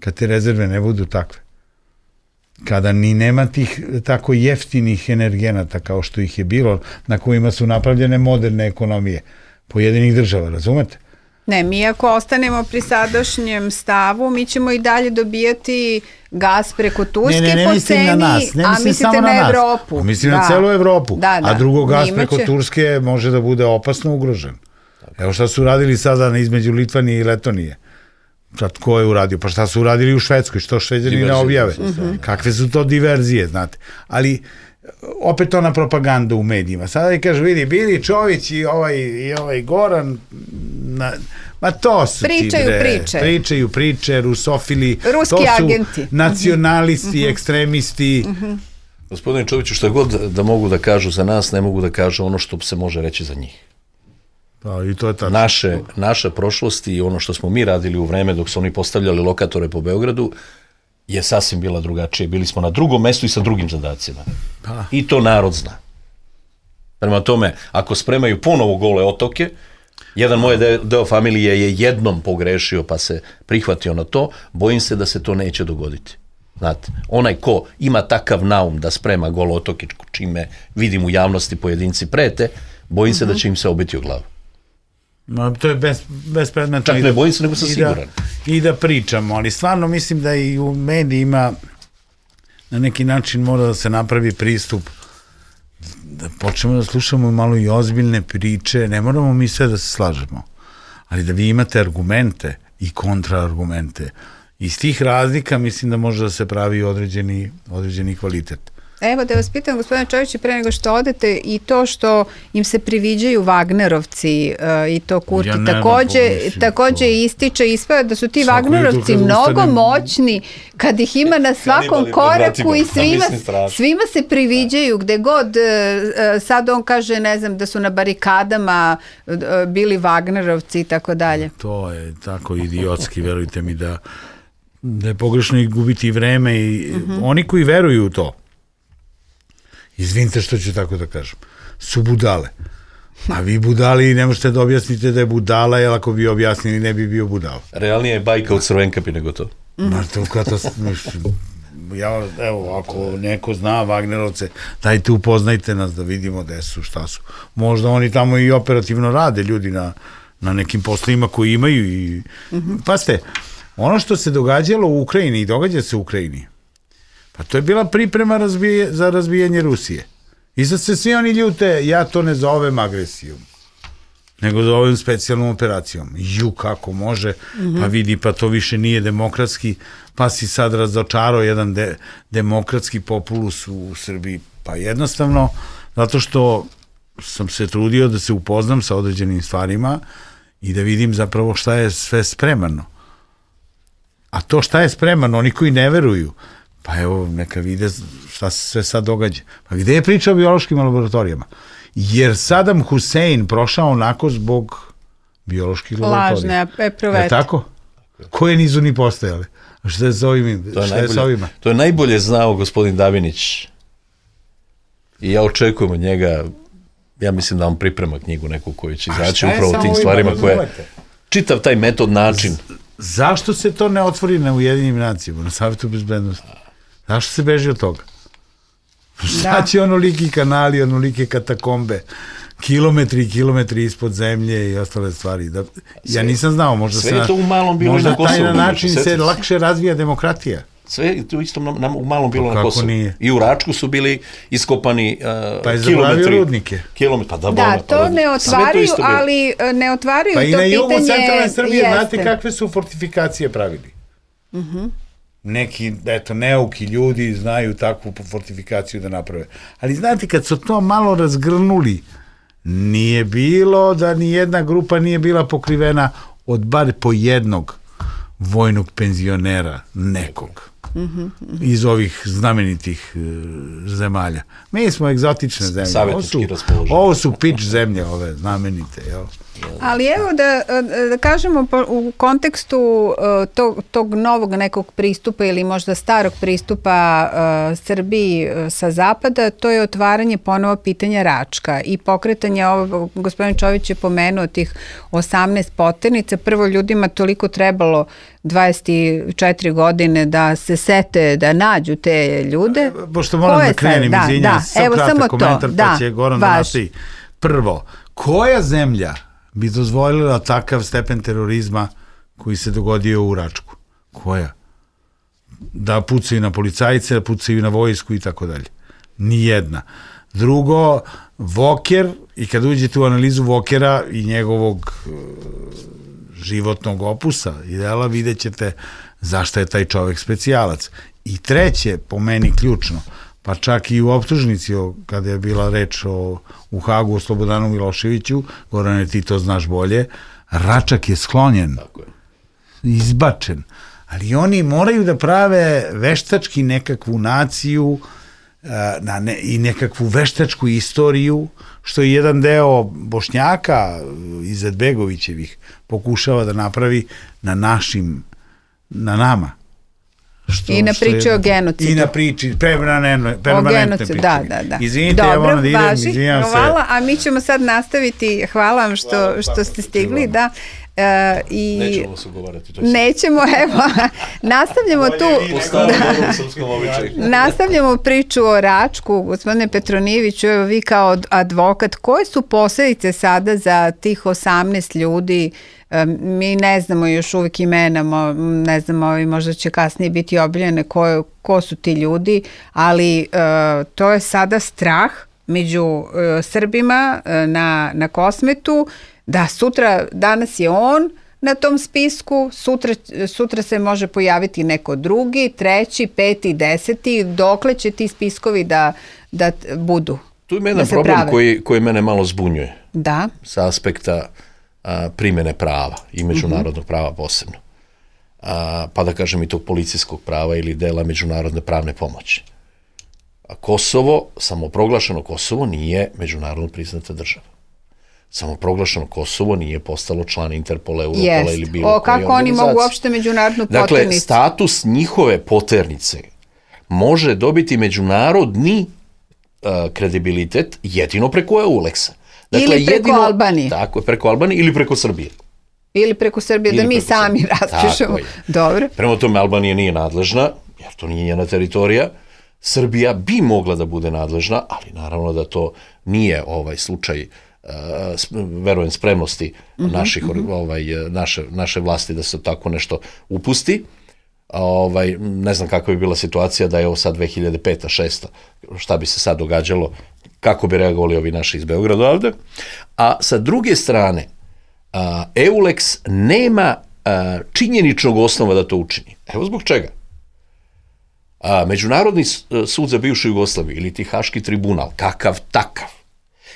Kad te rezerve ne budu takve. Kada ni nema tih tako jeftinih energenata kao što ih je bilo, na kojima su napravljene moderne ekonomije pojedinih država, razumete? Ne, mi ako ostanemo pri sadašnjem stavu, mi ćemo i dalje dobijati gas preko Turske ne, ne, ne po ceni, na nas, ne a mislim mislite samo na, na Evropu. A mislim da. na celu Evropu, da, da. a drugo gas Njima preko će... Turske može da bude opasno ugrožen. Evo šta su radili sada između Litvanije i Letonije. Sad ko je uradio? Pa šta su uradili u Švedskoj? Što Šveđani ne objave? Mm-hmm. Kakve su to diverzije, znate? Ali opet ona propaganda u medijima. Sada i kaže, vidi, Bili Čović i ovaj, i ovaj Goran, na, ma to su pričaju ti bre, priče. Pričaju priče, rusofili, ruski to su agenti. Nacionalisti, mm-hmm. ekstremisti. Mm-hmm. Gospodine Čoviću, što god da mogu da kažu za nas, ne mogu da kažu ono što se može reći za njih. Pa, i to je tačno. Naše, naša prošlost i ono što smo mi radili u vreme dok su oni postavljali lokatore po Beogradu je sasvim bila drugačije. Bili smo na drugom mestu i sa drugim zadacima. Pa. I to narod zna. Prema tome, ako spremaju ponovo gole otoke, jedan moj deo, deo familije je jednom pogrešio pa se prihvatio na to, bojim se da se to neće dogoditi. Znate, onaj ko ima takav naum da sprema gole otoke, čime vidim u javnosti pojedinci prete, bojim se mm-hmm. da će im se obiti u glavu. Ma, to je bez, bespredmetno. Čak ne bojim se, nego sam siguran. Da, I da pričamo, ali stvarno mislim da i u medijima na neki način mora da se napravi pristup da počnemo da slušamo malo i ozbiljne priče, ne moramo mi sve da se slažemo, ali da vi imate argumente i kontraargumente. Iz tih razlika mislim da može da se pravi određeni, određeni kvalitet. Evo da vas pitam, gospodine Čoviću, pre nego što odete, i to što im se priviđaju Wagnerovci uh, i to Kurti, ja takođe, takođe to. ističe ispada da su ti Svako Wagnerovci mnogo ustanem... moćni kad ih ima na svakom koraku i svima, svima se priviđaju gde god, uh, sad on kaže, ne znam, da su na barikadama uh, bili Wagnerovci i tako dalje. To je tako idiotski, verujte mi da, da je pogrešno i gubiti vreme i uh-huh. oni koji veruju u to. Izvinite što ću tako da kažem, su budale. A vi budali ne možete da objasnite da je budala, jer ako bi objasnili ne bi bio budala. Realnije je bajka u Crvenkapi nego to. Ma to katastrofa. Ja, evo, ako neko zna Wagnerovce, dajte upoznajte nas da vidimo gde su, šta su. Možda oni tamo i operativno rade, ljudi na, na nekim poslovima koji imaju i... Mm-hmm. Pazite, ono što se događalo u Ukrajini i događa se u Ukrajini, pa to je bila priprema razbije, za razbijanje Rusije. I sad se svi oni ljute, ja to ne zovem agresijom, nego zovem specijalnom operacijom. Ju, kako može, mm-hmm. pa vidi, pa to više nije demokratski, pa si sad razočarao jedan de, demokratski populus u Srbiji. Pa jednostavno, zato što sam se trudio da se upoznam sa određenim stvarima i da vidim zapravo šta je sve spremano. A to šta je spremano, oni koji ne veruju, pa evo, neka vide šta se sve sad događa. Pa gde je priča o biološkim laboratorijama? Jer Saddam Hussein prošao onako zbog bioloških laboratorija. Lažne eprovete. Je tako? Koje nisu ni postojale? Šta je s ovim? To je, šta najbolje, je s ovima? To je najbolje znao gospodin Davinić. I ja očekujem od njega, ja mislim da on priprema knjigu neku koju će izaći upravo o tim stvarima koje... Čitav taj metod, način. Z, zašto se to ne otvori na Ujedinim nacijama, na Savjetu bezbednosti? Zašto se beži od toga? Šta će onoliki kanali, onolike katakombe, kilometri i kilometri ispod zemlje i ostale stvari? Da, ja nisam znao, možda, sve je to u malom bilo možda na Kosovu, taj način se lakše razvija demokratija. Sve je to isto na, na, u malom bilo pa na Kosovu. Nije? I u Račku su bili iskopani uh, pa je kilometri. Rudnike. Kilometri, pa da, da bolne, to pa, ne otvaraju, ali ne otvaraju pa to pitanje. Pa i na jugu centralne Srbije, jeste. znate kakve su fortifikacije pravili? Mhm. Uh-huh. Neki, eto, neuki ljudi znaju takvu fortifikaciju da naprave. Ali znate, kad su to malo razgrnuli, nije bilo da ni jedna grupa nije bila pokrivena od bar po jednog vojnog penzionera nekog. Mm-hmm. Iz ovih znamenitih uh, zemalja. Mi smo egzotične zemlje. Ovo su, ovo su pič zemlje, ove znamenite, jel? Ali evo da, da kažemo u kontekstu tog, tog novog nekog pristupa ili možda starog pristupa uh, Srbiji sa zapada, to je otvaranje ponovo pitanja Račka i pokretanje, ovo, gospodin Čović je pomenuo tih osamnaest poternica, prvo ljudima toliko trebalo dvadeset četiri godine da se sete, da nađu te ljude. Pošto moram da krenem, da, izvinjam, da, sam kratak komentar, da, pa će Goran da nastavi. Prvo, koja zemlja bi dozvolila takav stepen terorizma koji se dogodio u Račku? Koja? Da pucaju na policajce, da pucaju na vojsku i tako dalje. Nijedna. Drugo, Voker, i kad uđete u analizu Vokera i njegovog uh, životnog opusa i dela, vidjet ćete zašto je taj čovek specijalac. I treće, po meni ključno, pa čak i u optužnici, kada je bila reč o, u Hagu o Slobodanu Miloševiću, Gorane, ti to znaš bolje, Račak je sklonjen, tako je. Izbačen, ali oni moraju da prave veštački nekakvu naciju na ne, i nekakvu veštačku istoriju, što je jedan deo Bošnjaka Izetbegovićevih pokušava da napravi na našim, na nama. Što, I na priči o genocidu. I na priči, permanentne priči. Da, da, da. Izvinite, dobro, ja moram da idem, važi, izvinjam se. Hvala, a mi ćemo sad nastaviti, hvala vam što, hvala, što ste stigli, da. Uh, i nećemo se ugovarati. Nećemo, evo, nastavljamo tu, da, nastavljamo priču o Račku, gospodine Petronijeviću, evo vi kao advokat, koje su posledice sada za tih osamnaest ljudi? Mi ne znamo još uvijek imena, ne znamo, možda će kasnije biti objavljene ko, ko su ti ljudi, ali uh, to je sada strah među uh, Srbima uh, na, na Kosmetu, da sutra, danas je on na tom spisku, sutra, sutra se može pojaviti neko drugi, treći, peti, deseti, dokle će ti spiskovi da, da budu? Tu ima jedan da problem koji, koji mene malo zbunjuje. Da. Sa aspekta a, primjene prava i međunarodnog uh-huh. prava posebno. A, pa da kažem i tog policijskog prava ili dela međunarodne pravne pomoći. A Kosovo, samoproglašeno Kosovo, nije međunarodno priznata država. Samoproglašeno Kosovo nije postalo član Interpola, Europola yes. ili bilo o, kako oni mogu uopšte međunarodnu poternicu? Dakle, status njihove poternice može dobiti međunarodni a, kredibilitet jedino preko EULEX-a. Dakle, ili preko jedino, Albanije. Tako je, preko Albanije ili preko Srbije. Ili preko Srbije, ili da mi sami Srbije. raspišemo. Dobro. Prema tome, Albanija nije nadležna, jer to nije njena teritorija. Srbija bi mogla da bude nadležna, ali naravno da to nije ovaj slučaj, uh, verujem, spremnosti uh-huh, naših, uh-huh. Ovaj, naše, naše vlasti da se tako nešto upusti. Ovaj, ne znam kakva bi bila situacija da je ovo sad dve hiljade peta, šesta, šta bi se sad događalo, kako bi reagovali ovi naši iz Beograda ovde. A sa druge strane, uh, EULEX nema uh, činjeničnog osnova da to učini. Evo zbog čega. A, Međunarodni sud za bivšu Jugoslaviju ili ti Haški tribunal, kakav takav,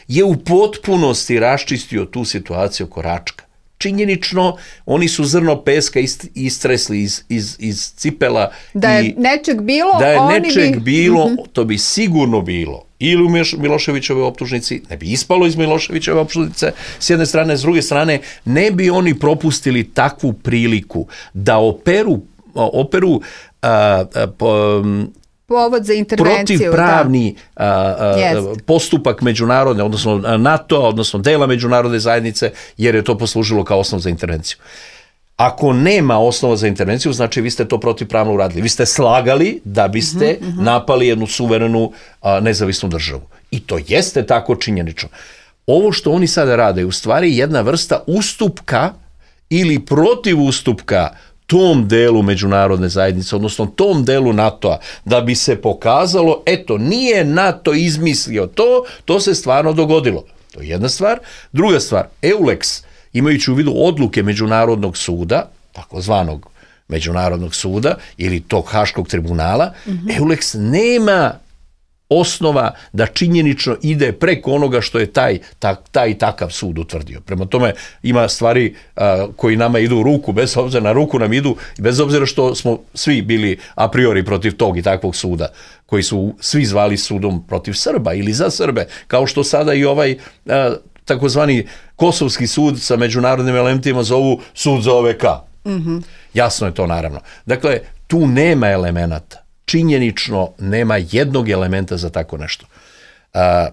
je u potpunosti raščistio tu situaciju oko Račka. Činjenično, oni su zrno peska istresli iz, iz, iz cipela. Da je i, nečeg bilo, da je oni nečeg bi... bilo, mm-hmm. to bi sigurno bilo. Ili u Miloševićove optužnici, ne bi ispalo iz Miloševićove optužnice, s jedne strane, s druge strane, ne bi oni propustili takvu priliku da operu, operu a, a, po, povod za intervenciju. Protivpravni da. a, a, postupak međunarodne, odnosno NATO, odnosno dela međunarodne zajednice, jer je to poslužilo kao osnov za intervenciju. Ako nema osnova za intervenciju, znači vi ste to protivpravno uradili. Vi ste slagali da biste uh-huh, uh-huh. napali jednu suverenu a, nezavisnu državu. I to jeste tako činjenično. Ovo što oni sada rade je u stvari jedna vrsta ustupka ili protiv ustupka tom delu međunarodne zajednice, odnosno tom delu NATO-a, da bi se pokazalo, eto, nije NATO izmislio to, to se stvarno dogodilo. To je jedna stvar. Druga stvar, EULEX, imajući u vidu odluke Međunarodnog suda, takozvanog Međunarodnog suda, ili tog Haškog tribunala, mm-hmm. EULEX nema osnova da činjenično ide preko onoga što je taj, taj, taj takav sud utvrdio. Prema tome ima stvari a, koji nama idu u ruku, bez obzira na ruku nam idu, bez obzira što smo svi bili a priori protiv tog i takvog suda, koji su svi zvali sudom protiv Srba ili za Srbe, kao što sada i ovaj a, takozvani Kosovski sud sa međunarodnim elementima zovu sud za O V K. Mm-hmm. Jasno je to naravno. Dakle, tu nema elemenata. Činjenično nema jednog elementa za tako nešto. A,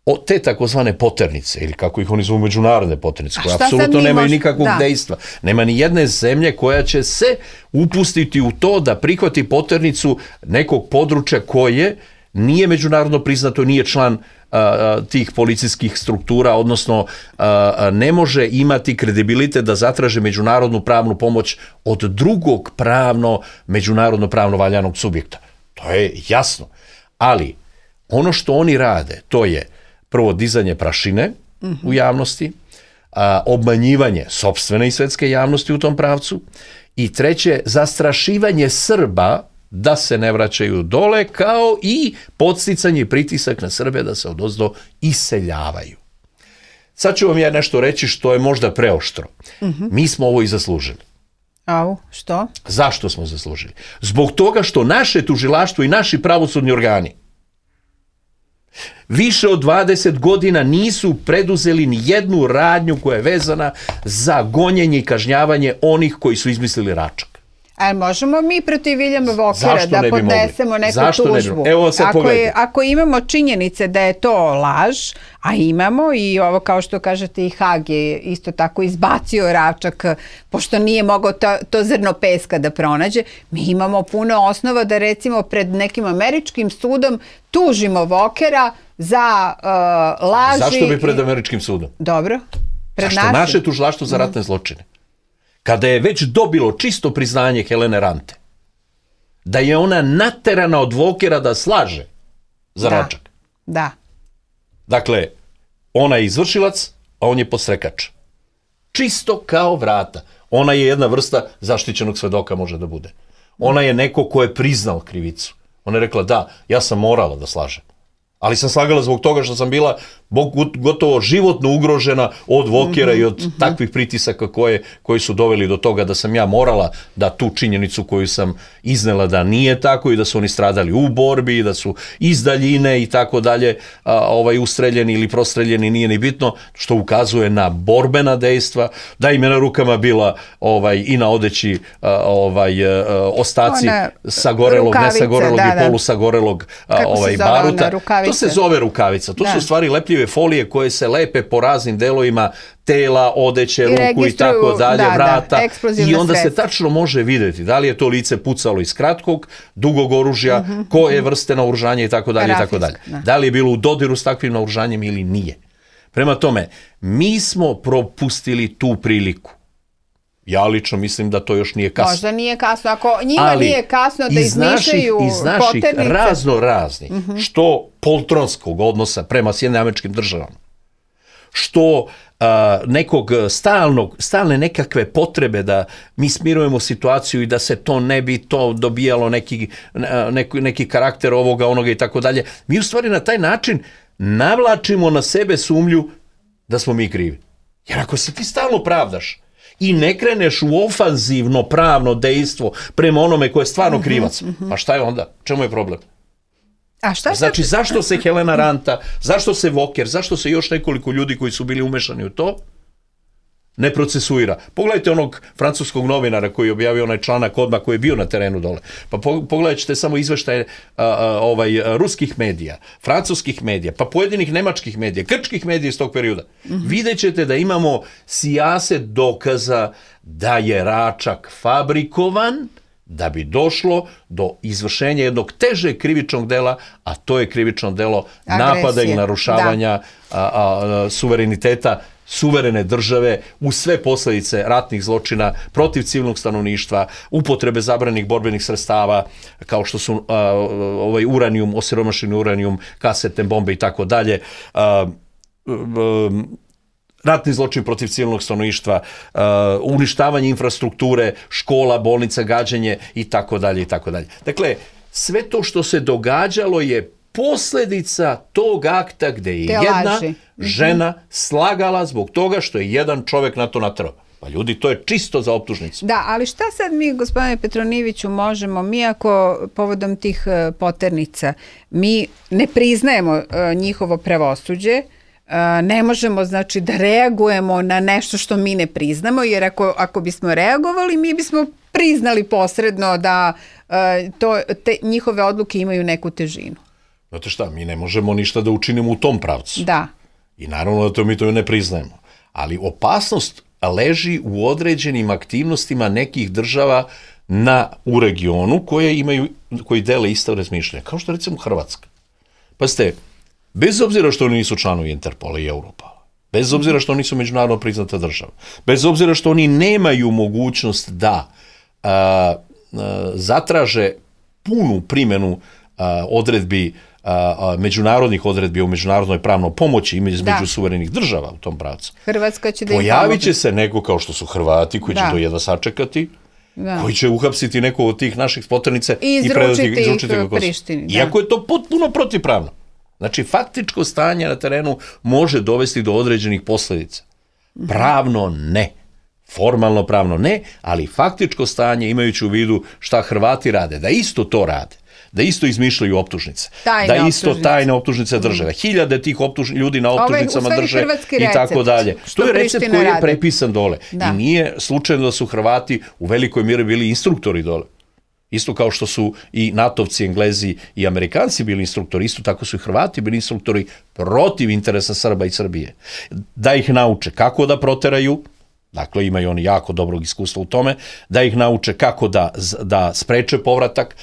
o, te takozvane poternice, ili kako ih oni zovu međunarodne poternice, koje apsolutno nemaju mož... nikakvog da. dejstva. Nema ni jedne zemlje koja će se upustiti u to da prihvati poternicu nekog područja koje nije međunarodno priznato, nije član a, tih policijskih struktura, odnosno a, ne može imati kredibilitet da zatraže međunarodnu pravnu pomoć od drugog pravno, međunarodno pravno valjanog subjekta. To je jasno. Ali ono što oni rade, to je prvo dizanje prašine mm-hmm. u javnosti, a, obmanjivanje sopstvene i svetske javnosti u tom pravcu i treće, zastrašivanje Srba da se ne vraćaju dole, kao i podsticanje i pritisak na Srbe da se odozdo iseljavaju. Sad ću vam ja nešto reći što je možda preoštro. Mm-hmm. Mi smo ovo i zaslužili. Au, što? Zašto smo zaslužili? Zbog toga što naše tužilaštvo i naši pravosudni organi više od dvadeset godina nisu preduzeli ni jednu radnju koja je vezana za gonjenje i kažnjavanje onih koji su izmislili Račak. A možemo mi protiv Viljama Vokera da podnesemo neku Zašto tužbu? Evo sad ako, je, ako imamo činjenice da je to laž, a imamo i ovo kao što kažete i Hag je isto tako izbacio Račak pošto nije mogao to, to zrno peska da pronađe, mi imamo puno osnova da recimo pred nekim američkim sudom tužimo Vokera za uh, laži. Zašto bi pred američkim sudom? Dobro. Pred Zašto našim? naše tužilaštvo za ratne zločine? Kada je već dobilo čisto priznanje Helene Rante, da je ona naterana od Vokera da slaže za da. Račak. Da. Dakle, ona je izvršilac, a on je podstrekač. Čisto kao vrata. Ona je jedna vrsta zaštićenog svedoka može da bude. Ona je neko ko je priznao krivicu. Ona je rekla da, ja sam morala da slažem. Ali sam slagala zbog toga što sam bila gotovo životno ugrožena od Vokera mm-hmm, i od mm-hmm. takvih pritisaka koje, koji su doveli do toga da sam ja morala da tu činjenicu koju sam iznela da nije tako i da su oni stradali u borbi i da su iz daljine i tako dalje ovaj, ustreljeni ili prostreljeni, nije ni bitno, što ukazuje na borbena dejstva, da im je na rukama bila ovaj, i na odeći ovaj, ostaci One, sagorelog, rukavice, nesagorelog da, i polusagorelog ovaj, baruta. To se zove rukavica. To da. su u stvari lepljive folije koje se lepe po raznim delovima tela, odeće, I ruku i tako dalje, da, vrata. Da, I onda sredstva. se tačno može vidjeti da li je to lice pucalo iz kratkog, dugog oružja, uh-huh, koje vrste naoružanja i tako dalje i tako dalje. Da. da li je bilo u dodiru s takvim naoružanjem ili nije. Prema tome, mi smo propustili tu priliku. Ja lično mislim da to još nije kasno. Možda nije kasno. Ako njima Ali nije kasno da izmišljaju poternice. Iz naših razno raznih, uh-huh. što poltronskog odnosa prema Sjedinjenim Američkim Državama, što uh, nekog stalnog, stalne nekakve potrebe da mi smirujemo situaciju i da se to ne bi to dobijalo neki, neki, neki karakter ovoga, onoga i tako dalje. Mi u stvari na taj način navlačimo na sebe sumnju da smo mi krivi. Jer ako se ti stalno pravdaš i ne kreneš u ofanzivno pravno dejstvo prema onome ko je stvarno krivac, uh-huh, uh-huh. pa šta je onda? Čemu je problem? A šta znači, sad... zašto se Helena Ranta, zašto se Voker, zašto se još nekoliko ljudi koji su bili umešani u to, ne procesuira? Pogledajte onog francuskog novinara koji je objavio onaj članak odmah koji je bio na terenu dole. Pa pogledat ćete samo izveštaje a, a, ovaj, ruskih medija, francuskih medija, pa pojedinih nemačkih medija, grčkih medija iz tog perioda. Mm-hmm. Vidjet ćete da imamo sijaset dokaza da je Račak fabrikovan da bi došlo do izvršenja jednog težeg krivičnog dela, a to je krivično delo Agresije. napada i narušavanja a, a, suvereniteta suverene države uz sve posljedice ratnih zločina protiv civilnog stanovništva, upotrebe zabranih borbenih sredstava kao što su a, ovaj uranijum, osiromašeni uranijum, kasetne bombe i tako dalje, ratni zločin protiv civilnog stanovništva, uh, uništavanje infrastrukture, škola, bolnica, gađenje i tako dalje i tako dalje. Dakle, sve to što se događalo je posljedica tog akta gdje je Te jedna laži. žena slagala zbog toga što je jedan čovjek na to natrao. Pa ljudi, to je čisto za optužnicu. Da, ali šta sad mi, gospodine Petronijeviću, možemo, mi ako povodom tih uh, poternica, mi ne priznajemo uh, njihovo pravosuđe, Uh, ne možemo, znači, da reagujemo na nešto što mi ne priznamo, jer ako, ako bismo reagovali, mi bismo priznali posredno da uh, to, te njihove odluke imaju neku težinu. Znate šta, mi ne možemo ništa da učinimo u tom pravcu. Da. I naravno da to mi to ne priznajemo. Ali opasnost leži u određenim aktivnostima nekih država na, u regionu koje imaju, koji dele isto razmišljanje. Kao što recimo Hrvatska. Pa ste, bez obzira što oni nisu članovi Interpola i Europola, bez obzira što oni su međunarodno priznata država, bez obzira što oni nemaju mogućnost da a, a, zatraže punu primjenu a, odredbi, a, a, međunarodnih odredbi u međunarodnoj pravnoj pomoći između da. suverenih država u tom pravcu. Hrvatska će da Pojavit će se neko kao što su Hrvati koji da. će to jedva sačekati, da. koji će uhapsiti neko od tih naših poternice i, i predati izručiti ih Prištini. Iako je to potpuno protivpravno. Znači, faktičko stanje na terenu može dovesti do određenih posljedica. Pravno ne. Formalno pravno ne, ali faktičko stanje, imajući u vidu šta Hrvati rade, da isto to rade, da isto izmišljaju optužnice, tajne da isto optužnice. tajne optužnice države, hiljade tih optuž, ljudi na optužnicama Ove, drže i tako dalje. To je recept koji je prepisan dole. Da. I nije slučajno da su Hrvati u velikoj mjeri bili instruktori dole. Isto kao što su i natovci, Englezi i Amerikanci bili instruktori, isto tako su i Hrvati bili instruktori protiv interesa Srba i Srbije. Da ih nauče kako da proteraju, dakle imaju oni jako dobrog iskustva u tome, da ih nauče kako da, da spreče povratak,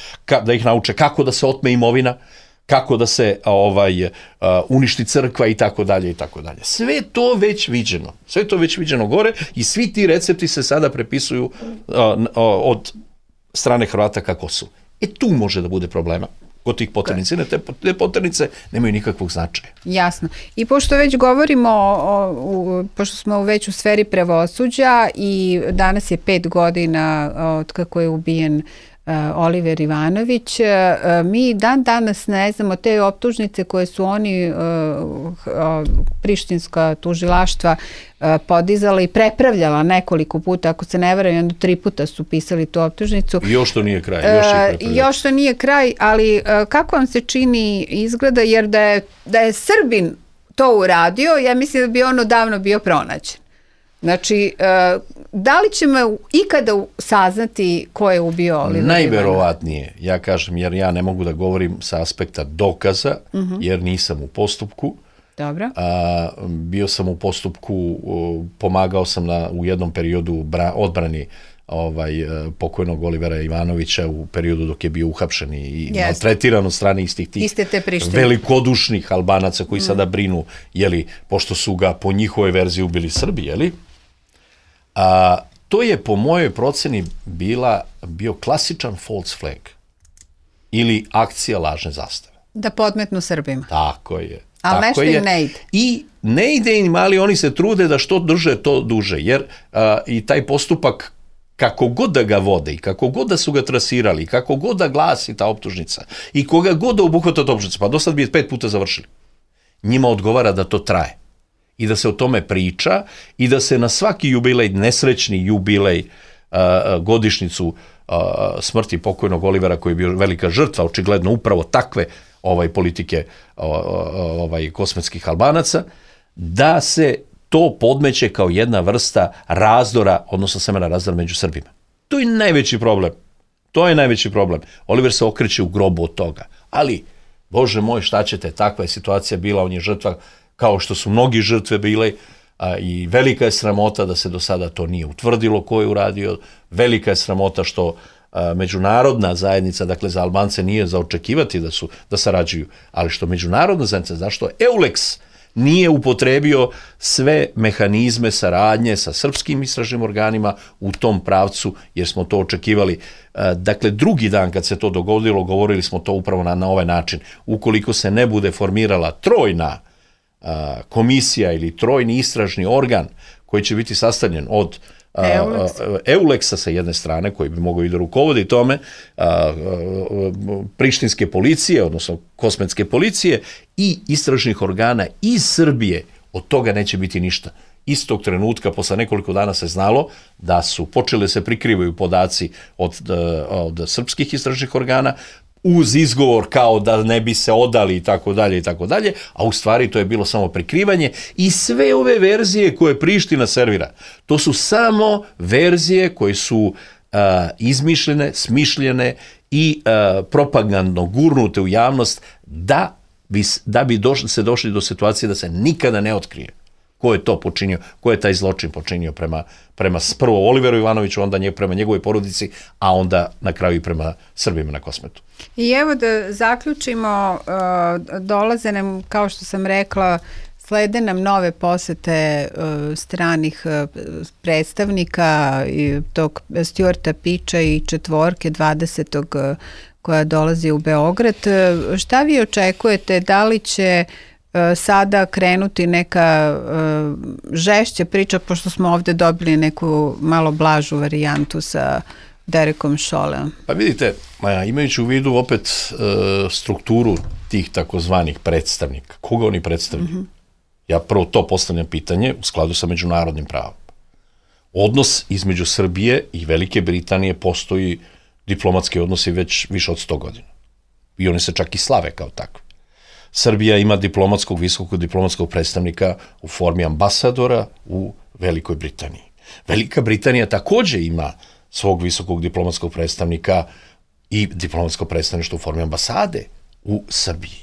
da ih nauče kako da se otme imovina, kako da se ovaj uh, uništi crkva i tako dalje i tako dalje. Sve to već viđeno. Sve to već viđeno gore i svi ti recepti se sada prepisuju uh, uh, od strane Hrvata kako su. E tu može da bude problema kod tih poternice. Te, te poternice nemaju nikakvog značaja. Jasno. I pošto već govorimo, o, o, pošto smo već u sferi pravosuđa i danas je pet godina od kako je ubijen uh, Oliver Ivanović, uh, mi dan danas ne znamo te optužnice koje su oni, uh, uh, prištinska tužilaštva, uh, podizala i prepravljala nekoliko puta, ako se ne varam, onda tri puta su pisali tu optužnicu. I još to nije kraj. Još, uh, još to nije kraj, ali uh, kako vam se čini izgleda, jer da je, da je Srbin to uradio, ja mislim da bi on odavno bio pronađen. Znači, uh, da li ćemo ikada saznati ko je ubio Olivera Ivanovića? Najverovatnije, ja kažem, jer ja ne mogu da govorim sa aspekta dokaza, uh-huh. jer nisam u postupku. Dobro. A, bio sam u postupku, pomagao sam na, u jednom periodu bra, odbrani ovaj, pokojnog Olivera Ivanovića u periodu dok je bio uhapšen i yes. maltretiran od strane istih tih velikodušnih Albanaca koji mm. sada brinu, jeli, pošto su ga po njihovoj verziji ubili Srbi, jeli? A, to je po mojoj proceni bila, bio klasičan false flag ili akcija lažne zastave. Da podmetnu Srbima. Tako je. Ali nešto im ne ide. I ne ide im, ali oni se trude da što duže to duže, jer a, i taj postupak, kako god da ga vode i kako god da su ga trasirali, i kako god da glasi ta optužnica i koga god da obuhvata ta optužnica, pa do sad bi je pet puta završili. Njima odgovara da to traje i da se o tome priča i da se na svaki jubilej, nesrećni jubilej, a, godišnicu a, smrti pokojnog Olivera, koji je bio velika žrtva, očigledno upravo takve ovaj politike ovaj kosmetskih Albanaca, da se to podmeće kao jedna vrsta razdora, odnosno semena razdora među Srbima. To je najveći problem. To je najveći problem. Oliver se okreće u grobu od toga. Ali, Bože moj, šta ćete, takva je situacija bila, on je žrtva kao što su mnogi žrtve bile, a, i velika je sramota da se do sada to nije utvrdilo ko je uradio, velika je sramota što međunarodna zajednica, dakle za Albance nije za očekivati da su da sarađuju, ali što međunarodna zajednica, zašto EULEX nije upotrebio sve mehanizme saradnje sa srpskim istražnim organima u tom pravcu, jer smo to očekivali. Dakle, drugi dan kad se to dogodilo, govorili smo to upravo na, na ovaj način. Ukoliko se ne bude formirala trojna a, komisija ili trojni istražni organ koji će biti sastavljen od EULEX-a sa jedne strane, koji bi mogao i da rukovodi tome, a, a, prištinske policije, odnosno kosmetske policije i istražnih organa iz Srbije, od toga neće biti ništa. Istog trenutka, posle nekoliko dana se znalo da su počele se prikrivaju podaci od, od srpskih istražnih organa, uz izgovor kao da ne bi se odali i tako dalje i tako dalje, a u stvari to je bilo samo prikrivanje i sve ove verzije koje Priština servira, to su samo verzije koje su uh, izmišljene, smišljene i uh, propagandno gurnute u javnost da bi, da bi došli, se došli do situacije da se nikada ne otkrije ko je to počinio, ko je taj zločin počinio prema, prema prvo Oliveru Ivanoviću, onda nje, prema njegovoj porodici, a onda na kraju i prema Srbima na Kosmetu. I evo da zaključimo, dolaze nam, kao što sam rekla, slede nam nove posete stranih predstavnika i tog Stuarta Piča i četvorke dvadesetog koja dolazi u Beograd. Šta vi očekujete, da li će sada krenuti neka uh, žešća priča, pošto smo ovde dobili neku malo blažu varijantu sa Derekom Šoleom? Pa vidite, imajući u vidu opet uh, strukturu tih takozvanih predstavnika, koga oni predstavljaju? Mm-hmm. Ja prvo to postavljam pitanje u skladu sa međunarodnim pravom. Odnos između Srbije i Velike Britanije postoji diplomatski odnosi već više od sto godina. I oni se čak i slave kao takvi. Srbija ima diplomatskog, visokog diplomatskog predstavnika u formi ambasadora u Velikoj Britaniji. Velika Britanija takođe ima svog visokog diplomatskog predstavnika i diplomatsko predstavništvo u formi ambasade u Srbiji.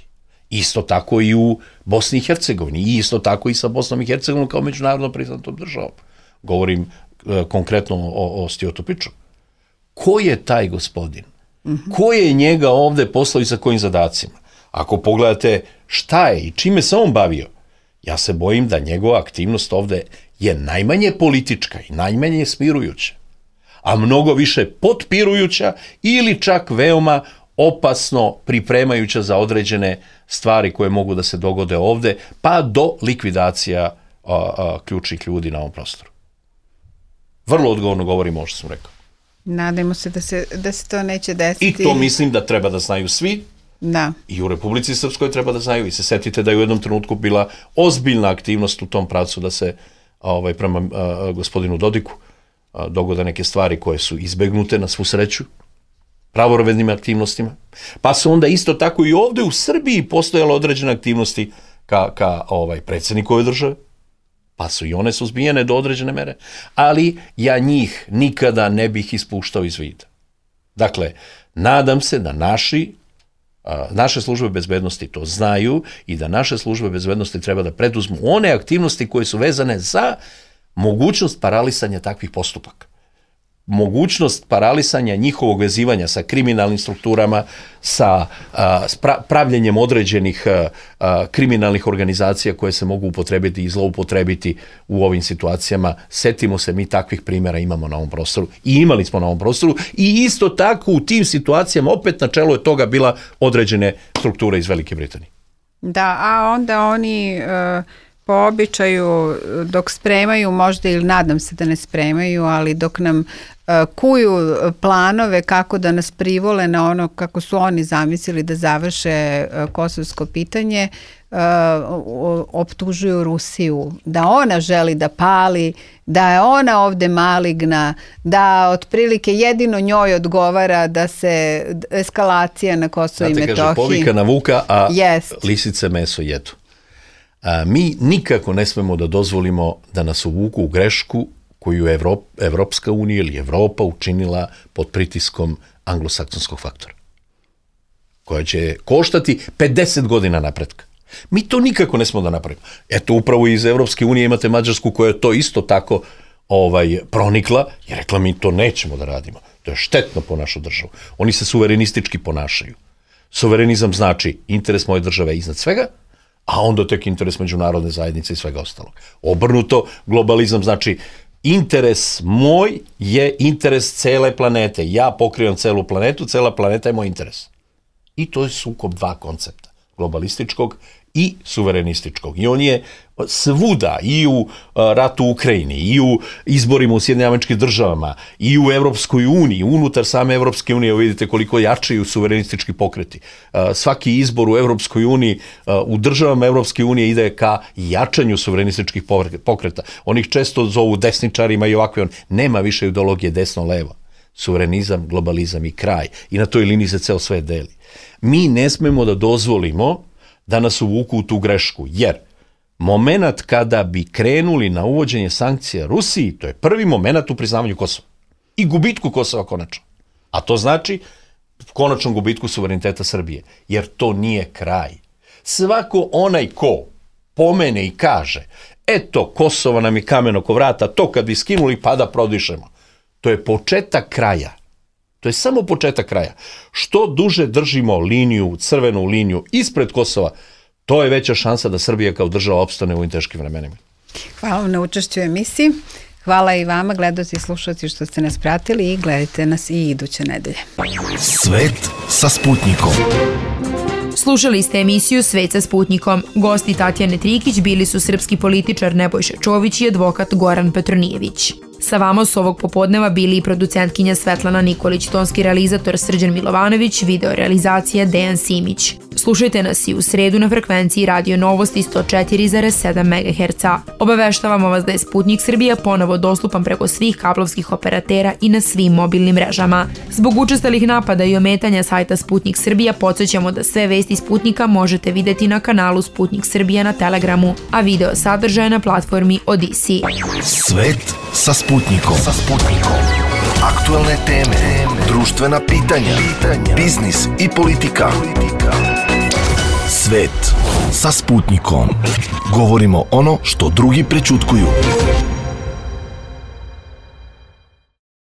Isto tako i u Bosni i Hercegovini, i isto tako i sa Bosnom i Hercegovinom kao međunarodno priznatom državom. Govorim e, konkretno o, o Stuartu Piču. Ko je taj gospodin? Mm-hmm. Ko je njega ovde poslao i sa kojim zadacima? Ako pogledate šta je i čime se on bavio, ja se bojim da njegova aktivnost ovde je najmanje politička i najmanje smirujuća, a mnogo više potpirujuća ili čak veoma opasno pripremajuća za određene stvari koje mogu da se dogode ovde, pa do likvidacija a, a, ključnih ljudi na ovom prostoru. Vrlo odgovorno govorim ovo što sam rekao. Nadajmo se da se, da se to neće desiti. I to mislim da treba da znaju svi. Da. I u Republici Srpskoj treba da znaju. I se setite da je u jednom trenutku bila ozbiljna aktivnost u tom pravcu da se ovaj, prema a, gospodinu Dodiku a, dogode neke stvari koje su izbegnute na svu sreću pravorovednim aktivnostima. Pa su onda isto tako i ovde u Srbiji postojale određene aktivnosti ka, ka ovaj, predsjedniku ove države, pa su i one suzbijene do određene mere, ali ja njih nikada ne bih ispuštao iz vida. Dakle, nadam se da naši, naše službe bezbednosti to znaju i da naše službe bezbednosti treba da preduzmu one aktivnosti koje su vezane za mogućnost paralisanja takvih postupaka. Mogućnost paralisanja njihovog vezivanja sa kriminalnim strukturama, sa a, pra, pravljenjem određenih a, a, kriminalnih organizacija koje se mogu upotrebiti i zloupotrebiti u ovim situacijama. Setimo se, mi takvih primjera imamo na ovom prostoru i imali smo na ovom prostoru i isto tako u tim situacijama opet na čelu je toga bila određene strukture iz Velike Britanije. Da, a onda oni... Uh... po običaju dok spremaju, možda ili nadam se da ne spremaju, ali dok nam uh, kuju planove kako da nas privole na ono kako su oni zamislili da završe uh, kosovsko pitanje, uh, optužuju Rusiju da ona želi da pali, da je ona ovde maligna, da otprilike jedino njoj odgovara da se eskalacija na Kosovo i Metohiji. Znate, kaže, povika na vuka, a Jest. lisice meso jedu. A, mi nikako ne smemo da dozvolimo da nas uvuku u grešku koju je Evrop, Evropska unija ili Evropa učinila pod pritiskom anglosaksonskog faktora, koja će koštati pedeset godina napretka. Mi to nikako ne smemo da napravimo. Eto, upravo iz Evropske unije imate Mađarsku koja je to isto tako ovaj, pronikla i rekla mi to nećemo da radimo. To je štetno po našu državu. Oni se suverenistički ponašaju. Suverenizam znači interes moje države iznad svega, a onda tek interes međunarodne zajednice i svega ostalog. Obrnuto, globalizam znači interes moj je interes cele planete. Ja pokrivam celu planetu, cela planeta je moj interes. I to je sukob dva koncepta, globalističkog i suverenističkog. I on je svuda, i u ratu u Ukrajini, i u izborima u Sjedinjenim Američkim Državama, i u Evropskoj uniji, unutar same Evropske unije, vidite koliko jačaju suverenistički pokreti. Svaki izbor u Evropskoj uniji, u državama Evropske unije ide ka jačanju suverenističkih pokreta. Oni ih često zovu desničarima i ovakve, on nema više ideologije desno-levo. Suverenizam, globalizam i kraj. I na toj liniji se ceo svet deli. Mi ne smemo da dozvolimo da nas uvuku u tu grešku, jer moment kada bi krenuli na uvođenje sankcija Rusiji, to je prvi moment u priznavanju Kosova i gubitku Kosova konačno. A to znači konačnom gubitku suvereniteta Srbije, jer to nije kraj. Svako onaj ko pomene i kaže, eto, Kosovo nam je kamen oko vrata, to kad bi skinuli pa da prodišemo, to je početak kraja. To je samo početak kraja. Što duže držimo liniju, crvenu liniju ispred Kosova, to je veća šansa da Srbija kao država opstane u ovim teškim vremenima. Hvala vam na učešću u emisiji. Hvala i vama, gledaoci i slušalci, što ste nas pratili i gledajte nas i iduće nedelje. Svet sa Sputnikom. Slušali ste emisiju Svet sa Sputnikom. Gosti Tatjane Trikić bili su srpski političar Nebojša Čović i advokat Goran Petronijević. Sa vama su ovog popodneva bili i producentkinja Svetlana Nikolić, tonski realizator Srđan Milovanović, video realizacija Dejan Simić. Slušajte nas i u sredu na frekvenciji Radio Novosti sto četiri zarez sedam megaherca. Obaveštavamo vas da je Sputnik Srbija ponovo dostupan preko svih kablovskih operatera i na svim mobilnim mrežama. Zbog učestalih napada i ometanja sajta Sputnik Srbija podsjećamo da sve vesti Sputnika možete videti na kanalu Sputnik Srbija na Telegramu, a video sadržaje na platformi Odisi. Svet sa Sputnikom. Sa Sputnikom. Aktuelne teme, društvena pitanja, biznis i politika. Svet sa Sputnikom. Govorimo ono što drugi prećutkuju.